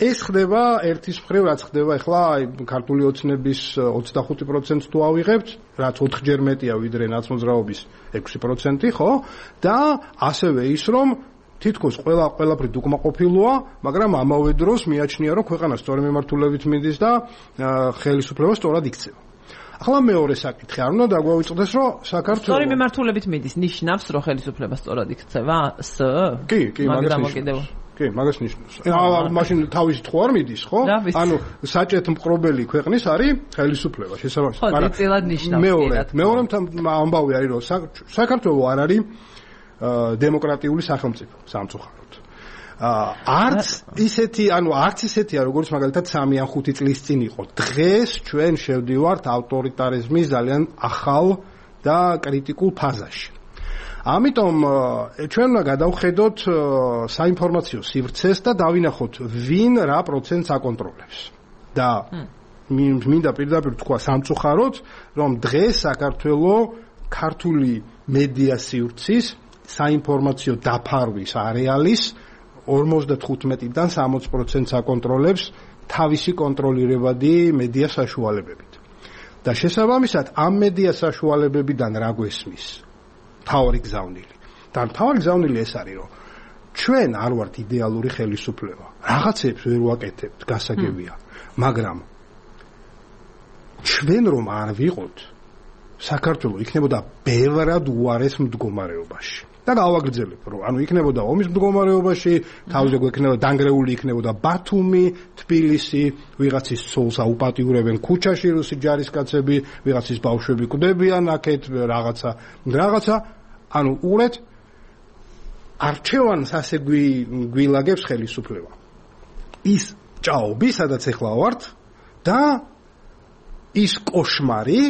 ეს ხდება ერთის მხრივ, რაც ხდება ახლა ქართული ოცნების 25% თუ ავიღებთ, რაც 4-ჯერ მეტია ვიდრე ნაცმოძრაობის 6%, ხო? და ასევე ის, რომ თითქოს ყველაფრით უკმაყოფილოა, მაგრამ ამავე დროს მიაჩნია, რომ ქვეყანა სწორი მიმართულებით მიდის და ხელისუფლება სწორად იქცევა. ახლა მეორე საკითხი არ უნდა დაგვაუწყდეს, რომ საქართველოს სწორი მიმართულებით მიდის, ნიშნავს, რომ ხელისუფლება სწორად იქცევა? კი, მაგას ნიშნავს. მაშინ თავისით ხო არ მიდის, ხო? ანუ საჭეთ მყრობელი ქვეყნის არის ხელისუფლება, შესაბამისად. ხო, ძილად ნიშნავს. მეორე ამბავი არის, რომ საქართველოს არ არის დემოკრატიული სახელმწიფო, სამწუხაროდ. არც ისეთია, როგორც მაგალითად 3 ან 5 წლის წინ იყო. დღეს ჩვენ შევდივართ ავტორიტარიზმის ძალიან ახალ და კრიტიკულ ფაზაში. ამიტომ ჩვენ უნდა გადავხედოთ საინფორმაციო სივრცეს და დავინახოთ ვინ რა პროცენტს აკონტროლებს. და მინდა პირდაპირ თქვა სამწუხაროდ, რომ დღეს საქართველოს ქართული მედია სივრცის საინფორმაციო დაფარვის არეალის 55-დან 60%-ს აკონტროლებს თავისი კონტროლირებადი მედია საშუალებებით. და შესაბამისად ამ მედია საშუალებებიდან რა გვესმის? თავი გზავნილი. და თავი გზავნილი ეს არის, რომ ჩვენ არ ვართ იდეალური ხელისუფლება. რაღაცებს ვერ ვაკეთებთ, გასაგებია, მაგრამ ჩვენ რომ არ ვიყოთ, საქართველოს იქნებოდა ბევრად უარეს მდგომარეობაში. და გავაგრძელებ, რომ ანუ იქნებოდა ომის მდგომარეობაში, თავზე გვექნება დანგრეული იქნებოდა ბათუმი, თბილისი, ვიღაცის ცოლს აუპატიურებენ ქუჩაში რუსი ჯარისკაცები, ვიღაცის ბავშვები კვდებიან აქეთ, რაღაცა, ანუ უყურეთ, არჩევანს ასე გვილაგებს ხელისუფლება. ის ჭაობი, სადაც ახლა ვართ და ის კოშმარი,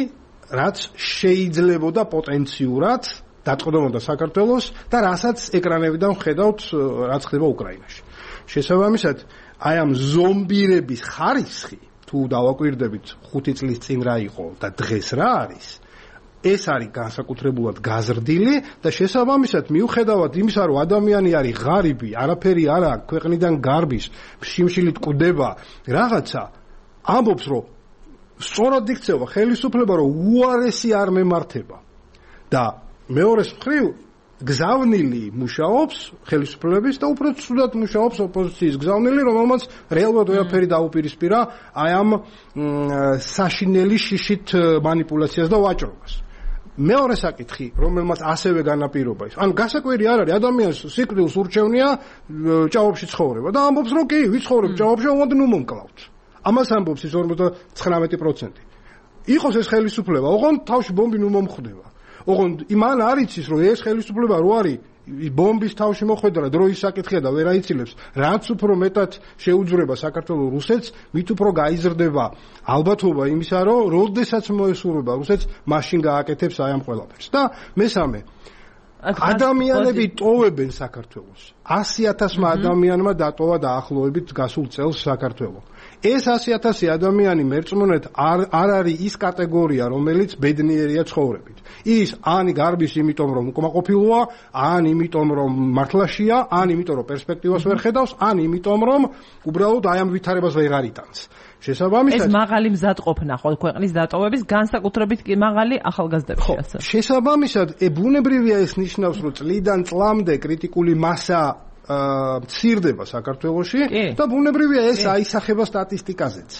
რაც შეიძლებოდა პოტენციურად დატყდომოდა საქართველოს და რასაც ეკრანებიდან ხედავთ, რაც ხდება უკრაინაში. შესაბამისად, აი ამ ზომბირების ხარისხი, თუ დავაკვირდებით 5 წლის წინ რა იყო და დღეს რა არის, ეს არის განსაკუთრებულად გაზრდილი და შესაბამისად მიუხედავად იმისა, რომ ადამიანი არის ღარიბი, არაფერი არ აქვს, ქვეყნიდან გარბის, შიმშილით კვდება რაღაცა, ამბობს, რომ სწორად იქცევა ხელისუფლება, რომ უარესი არ მემართება. და მეორეს მხრივ გზავნილი მუშაობს ხელისუფლების და უფრო ცუდად მუშაობს ოპოზიციის გზავნილი, რომელმაც რეალურად ვერაფერი დაუპირისპირა აი ამ საშინელი შიშით манипуляციას და ვაჭრობას. მეორე საკითხი, რომელმაც ასევე განაპირობა ის. ანუ გასაკვირი არ არის, ადამიანს სიკვდილს ურჩევნია ჭაობში ცხოვრება და ამბობს, რომ კი, ვიცხოვრებ ჭაობში, ოღონდ ნუ მომკლავთ. ამას ამბობს ის 59%. იყოს ეს ხელისუფლება, ოღონდ თავში ბომბი ნუ მომხვდება. ოღონდ იმან არ იცის, რომ ეს ხელისუფლება რო არის ბომბის თავში მოხვედრა დროის საკითხია და ვერ აიცილებს, რაც უფრო მეტად შეუძვრება საქართველოს რუსეთს, მით უფრო გაიზრდება ალბათობა იმისა, რომ როდესაც მოესურვება რუსეთს, მაშინ გააკეთებს აი ამ ყველაფერს. და მესამე, ადამიანები ტოვებენ საქართველოს. 100,000 ადამიანმა დატოვა დაახლოებით გასულ წელს საქართველოს. ეს 100,000 ადამიანი მერწმუნეთ არ არის ის კატეგორია, რომელიც ბედნიერია ცხოვრებით. ის ან გარბის იმიტომ, რომ უკმაყოფილოა, ან იმიტომ, რომ მართლაშია, ან იმიტომ, რომ პერსპექტივას ვერ ხედავს, ან იმიტომ, რომ უბრალოდ აი ამ ვითარებას ვეღარ იტანს. შესაბამისად ეს მაღალი მზადყოფნა ხო ქვეყნის დატოვების განსაკუთრებით კი მაღალი ახალგაზრდებისათვის. შესაბამისად, ბუნებრივია ეს ნიშნავს, რომ წლიდან წლამდე კრიტიკული მასა მცირდება საქართველოში და ბუნებრივია ეს აისახება სტატისტიკაზეც.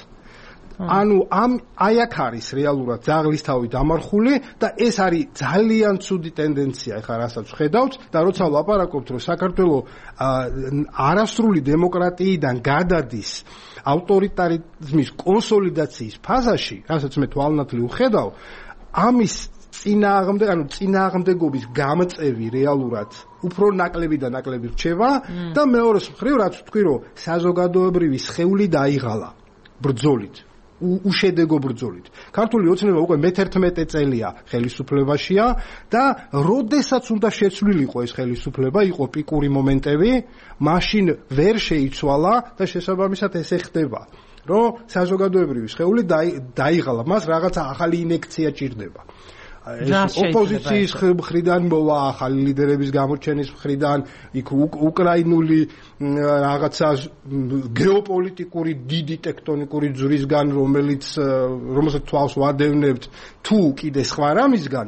ანუ აი აქ არის რეალურად ძაღლისთავი დამარხული და ეს არის ძალიან ცუდი ტენდენცია ახლა რასაც ხედავთ და როცა ვლაპარაკობთ რომ საქართველოს არასრული დემოკრატიიდან გადადის ავტორიტარიზმის კონსოლიდაციის ფაზაში, რასაც მე თვალნათლივ ვხედავ, ამის წინააღმდეგობის გამწევი რეალურად უფრო ნაკლები და ნაკლები რჩება და მეორეს მხრივ რაც ვთქვი რომ საზოგადოებრივი სხეული დაიღალა ბრძოლით. უშედეგო ბრძოლით. ქართული ოცნება უკვე მე-11 წელია ხელისუფლებაშია და როდესაც უნდა შეცვლილიყო ეს ხელისუფლება, იყო პიკური მომენტები, მაშინ ვერ შეიცვალა და შესაბამისად ესე ხდება, რომ საზოგადოებრივი სხეული დაიღალა, მას რაღაცა ახალი ინექცია ჭირდება. ოპოზიციის მხრიდან მოვა, ახალი ლიდერების გამოჩენის მხრიდან, იქ უკრაინული რაღაცა გეოპოლიტიკური დიდი ტექტონიკური ძვრისგან, რომელსაც თვალს ვადევნებთ, თუ კიდე სხვა რამისგან,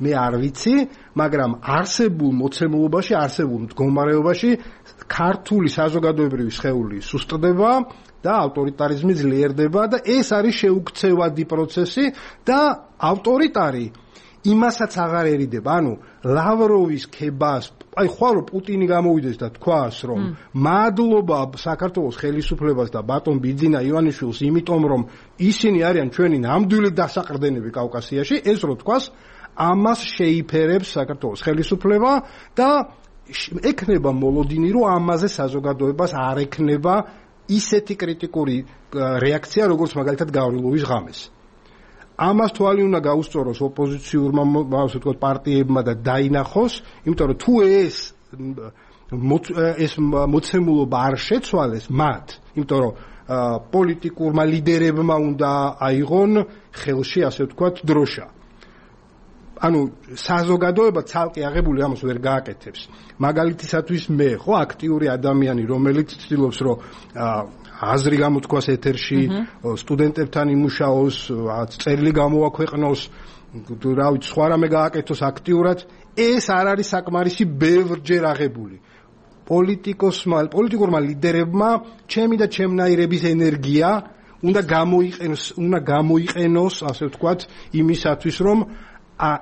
მე არ ვიცი, მაგრამ არსებულ მოცემულობაში, არსებულ მდგომარეობაში ქართული საზოგადოებრივი სხეული სუსტდება და ავტორიტარიზმი ძლიერდება და ეს არის შეუქცევადი პროცესი და ავტორიტარი იმასაც აღარ ერიდება, ანუ ლავროვის ქებას, აი ხვალ პუტინი გამოვიდეს და თქვას, რომ მადლობა საქართველოს ხელისუფლებას და ბატონ ბიძინა ივანიშვილს, იმიტომ რომ ისინი არიან ჩვენი ნამდვილი დასაყრდენები კავკასიაში, ეს რო თქვას, ამას შეიფერებს საქართველოს ხელისუფლება და ექნება მოლოდინი, რომ ამაზე საზოგადოებას არ ექნება ისეთი კრიტიკური რეაქცია, როგორც მაგალითად გავრილოვის ღამეს. ამას თვალი უნდა გაუსწოროს ოპოზიციურმა პარტიებმა და დაინახოს, იმიტომ რომ თუ ეს მოცემულობა არ შეცვალეს მათ, იმიტომ რომ პოლიტიკურმა ლიდერებმა უნდა აიღონ ხელში, ასე ვთქვათ, დროშა. ანუ საზოგადოება ცალკე აღებული ამას ვერ გააკეთებს. მაგალითისათვის მე, ხო, აქტიური ადამიანი, რომელიც ცდილობს, რომ აზრი გამოთქვას ეთერში, სტუდენტებთან იმუშაოს, წერილი გამოაქვეყნოს, რა ვიცი, სხვა რამე გააკეთოს აქტიურად, ეს არ არის საკმარისი ბევრჯერ აღებული. პოლიტიკურმა ლიდერებმა ჩემი და ჩემნაირების ენერგია უნდა გამოიყენოს, ასე ვთქვათ, იმისათვის, რომ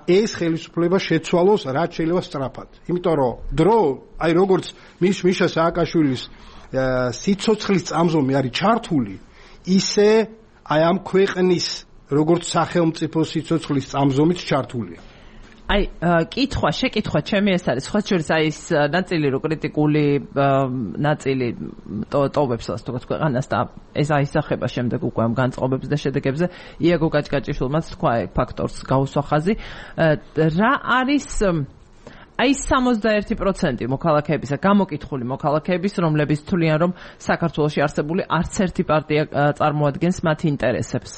ეს ხელისუფლება შეცვალოს რაც შეიძლება სწრაფად. იმიტომ რომ დრო, აი როგორც მიშა სააკაშვილის სიცოცხლის წამზომი არის ჩართული, ისე აი ამ ქვეყნის როგორც სახელმწიფო სიცოცხლის წამზომიც ჩართულია. აი, შეკითხვა ჩემი ეს არის, სხვა შორის აი ეს ნაწილი რო კრიტიკული ნაწილი ტოვებს ასე თქვა ქვეყანას და ეს აისახება შემდეგ უკვე ამ განწყობებს და შედეგებზე. იაგო კაჭკაჭიშვილმაც თქვა ფაქტორს გაუსვა ხაზი. რა არის აი 61% მოქალაქეებისა, გამოკითხული მოქალაქეების, რომლებიც თვლიან, რომ საქართველოში არსებული არც ერთი პარტია წარმოადგენს მათ ინტერესებს.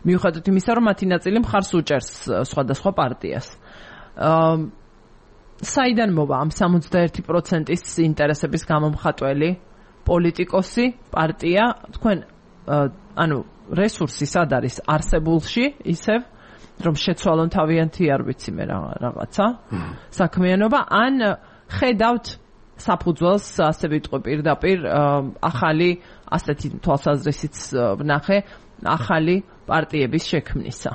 მიუხედავად იმისა, რომ მათი ნაწილი მხარს უჭერს სხვადასხვა პარტიას. საიდან მოვა ამ 61%-ის ინტერესების გამომხატველი პოლიტიკოსი, პარტია, თქვენ ანუ რესურსი სად არის არსებულში, ისევ რომ შეცვალონ თავიანთი არ ვიცი მე რაღაცა საქმიანობა, ან ხედავთ საფუძველს, ასე ვიტყვი პირდაპირ ახალი ასეთი თვალსაზრისით ვნახე ახალი პარტიების შექმნისა.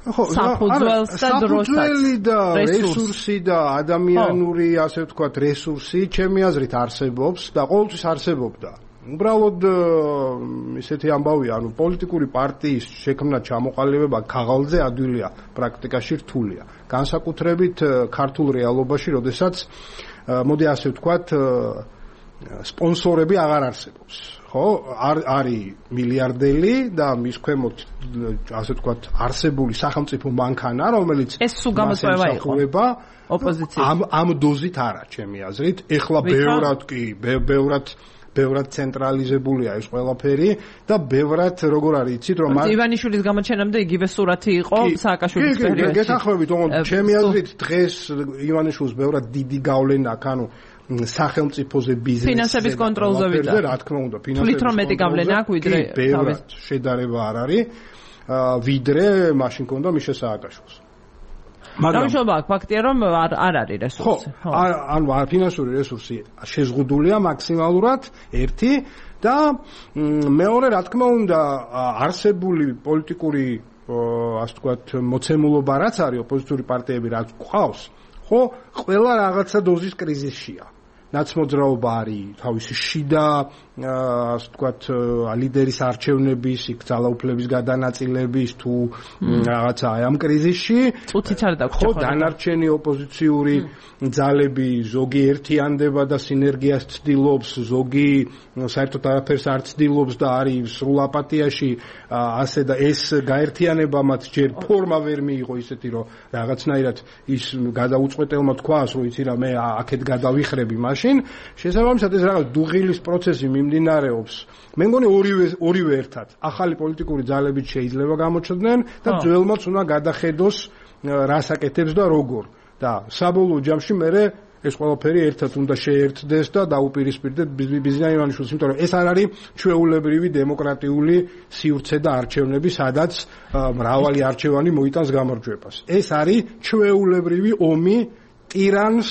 საფუძველი და რესურსი და ადამიანური, ასე ვთქვათ, რესურსი ჩემი აზრით არსებობს და ყოველთვის არსებობდა. უბრალოდ ისეთი ამბავია, ანუ პოლიტიკური პარტიის შექმნა ჩამოყალიბება ქაღალდზე ადვილია, პრაქტიკაში რთულია. განსაკუთრებით ქართულ რეალობაში, როდესაც მოდი ასე ვთქვათ, სპონსორები აღარ არსებობს. ხო, არის მილიარდელი და მის ქვემოთ, ასე ვთქვათ, არსებული სახელმწიფო მანქანა, რომელიც ეს სულ გამოწვევა იყო ოპოზიციის. ამ დოზით არა, ჩემი აზრით. ეხლა ბევრად ცენტრალიზებულია ეს ყველაფერი და ბევრად როგორ არის იცით რომ ივანიშვილის გამოჩენამდე იგივე სურათი იყო სააკაშვილის პერიოდში. გეთანხმებით, ჩემი აზრით დღეს ივანიშვილს ბევრად დიდი გავლენა აქვს, ანუ სახელმწიფოზე ბიზნესზე ფინანსების კონტროლზე ვიდა. რა თქმა უნდა, ფინანსების კონტროლზე აქვს ვიდრე ბევრად შედარება არ არის, ვიდრე მაშინ ქონდა მიშა სააკაშვილს. მაგრამ ფაქტია რომ არ არის რესურსი. ხო, ანუ ფინანსური რესურსი შეზღუდულია მაქსიმალურად ერთი და მეორე რა თქმა უნდა არსებული პოლიტიკური ასე ვთქვათ მოცემულობა რაც არის ოპოზიციური პარტიები რაც ყავს, ხო, ყველა რაღაცა დოზის კრიზისშია. ნაცმოძრაობა არის თავისი შიდა ასე ვთქვათ ლიდერის არჩევნების, იქ ძალაუფლების გადანაწილების თუ რაღაცა ამ კრიზისში წუთიც არ დაგვჭირდება. ხო, დანარჩენი ოპოზიციური ძალები ზოგი ერთიანდება და სინერგიას ცდილობს, ზოგი საერთოდ არაფერს არ ცდილობს და არის სრულ აპათიაში, ასე და ეს გაერთიანება მათ ჯერ ფორმა ვერ მიიღო ისეთი რომ რაღაცნაირად ის გადაუწყვეტელმა თქვას რომ იცი რა მე აქეთ გადავიხრები მაშინ შესაბამისად ეს რაღაც დუღილის პროცესი მიმდინარეობს. მე მგონი ორივე ერთად ახალი პოლიტიკური ძალებით შეიძლება გამოჩნდნენ და ძველმაც უნდა გადახედოს რას აკეთებს და როგორ და საბოლოო ჯამში მე ეს ყველაფერი ერთად უნდა შეერთდეს და დაუპირისპირდეს ბიზნეს იანიშვილს, იმიტომ რომ ეს არ არის ჩვეულებრივი დემოკრატიული სივრცე და არჩევნები, სადაც მრავალი არჩევანი მოიტანს გამარჯვებას. ეს არის ჩვეულებრივი ომი ტირანს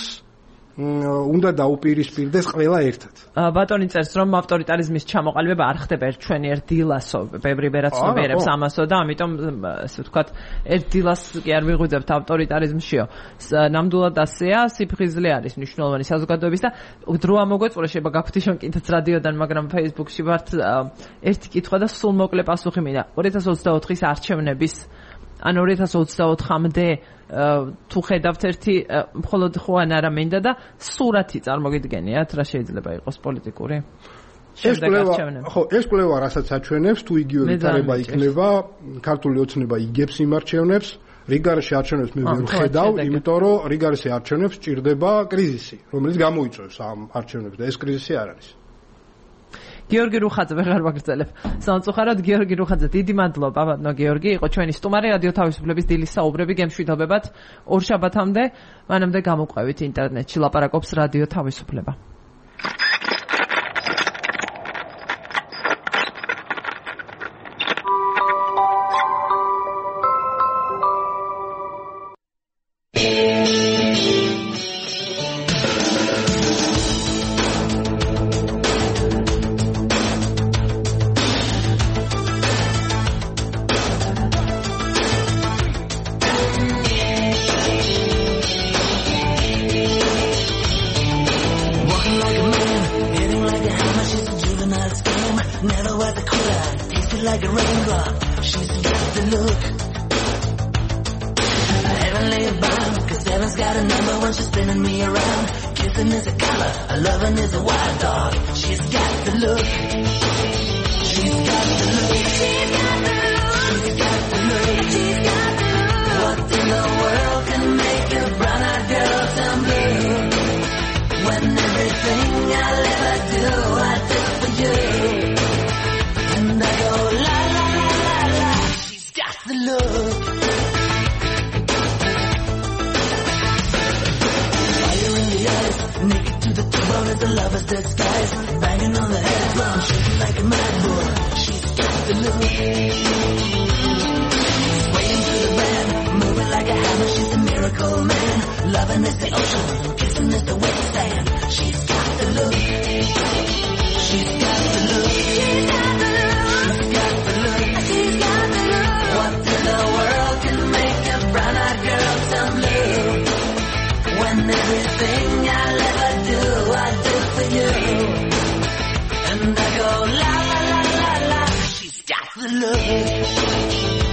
უნდა დაუპირისპირდეს ყველა ერთად. ბატონი წერს რომ ავტორიტარიზმის ჩამოყალიბება არ ხდება ჩვენი ერთ დილასო, ბევრი ვერაცნობიერებს ამასო და ამიტომ ასე ვთქვათ ერთ დილას კი არ ვიღვიძებთ ავტორიტარიზმშიო. ნამდვილად ასეა, სიფხიზლე არის მნიშვნელოვანი საზოგადოების და დრო ამოგვეწურა შეიძლება გაგხვდიშონ კიდეც რადიოდან, მაგრამ Facebook-ში ვართ ერთი კითხვა და სულ მოკლე პასუხი მინდა. 2024-ის არჩევნების ან 2024-მდე თუ ხედავთ ერთი მხოლოდ ხო ან არა მინდა და სურათი წარმოგიდგენიათ რა შეიძლება იყოს პოლიტიკური ეს კვლევა რასაც აჩვენებს თუ იგივე ვითარება იქნება ქართული ოცნება იგებს იმ არჩევნებს რიგარში არჩევნებს მე ვერ ხედავ იმიტომ რომ რიგარში არჩევნებს ჭირდება კრიზისი რომელიც გამოიწვევს ამ არჩევნებს და ეს კრიზისი არ არის გიორგი რუხაძე ვეღარ ვაგრძელებ. სამწუხაროდ გიორგი რუხაძე დიდი მადლობა ბატონო გიორგი, იყო ჩვენი სტუმარი რადიო თავისუფლების დილის საუბრები გემშვიდობებად ორ შაბათამდე, მანამდე გამოყვებით ინტერნეტში ლაპარაკობს რადიო თავისუფლება. And I go la la la la la, she's got the look.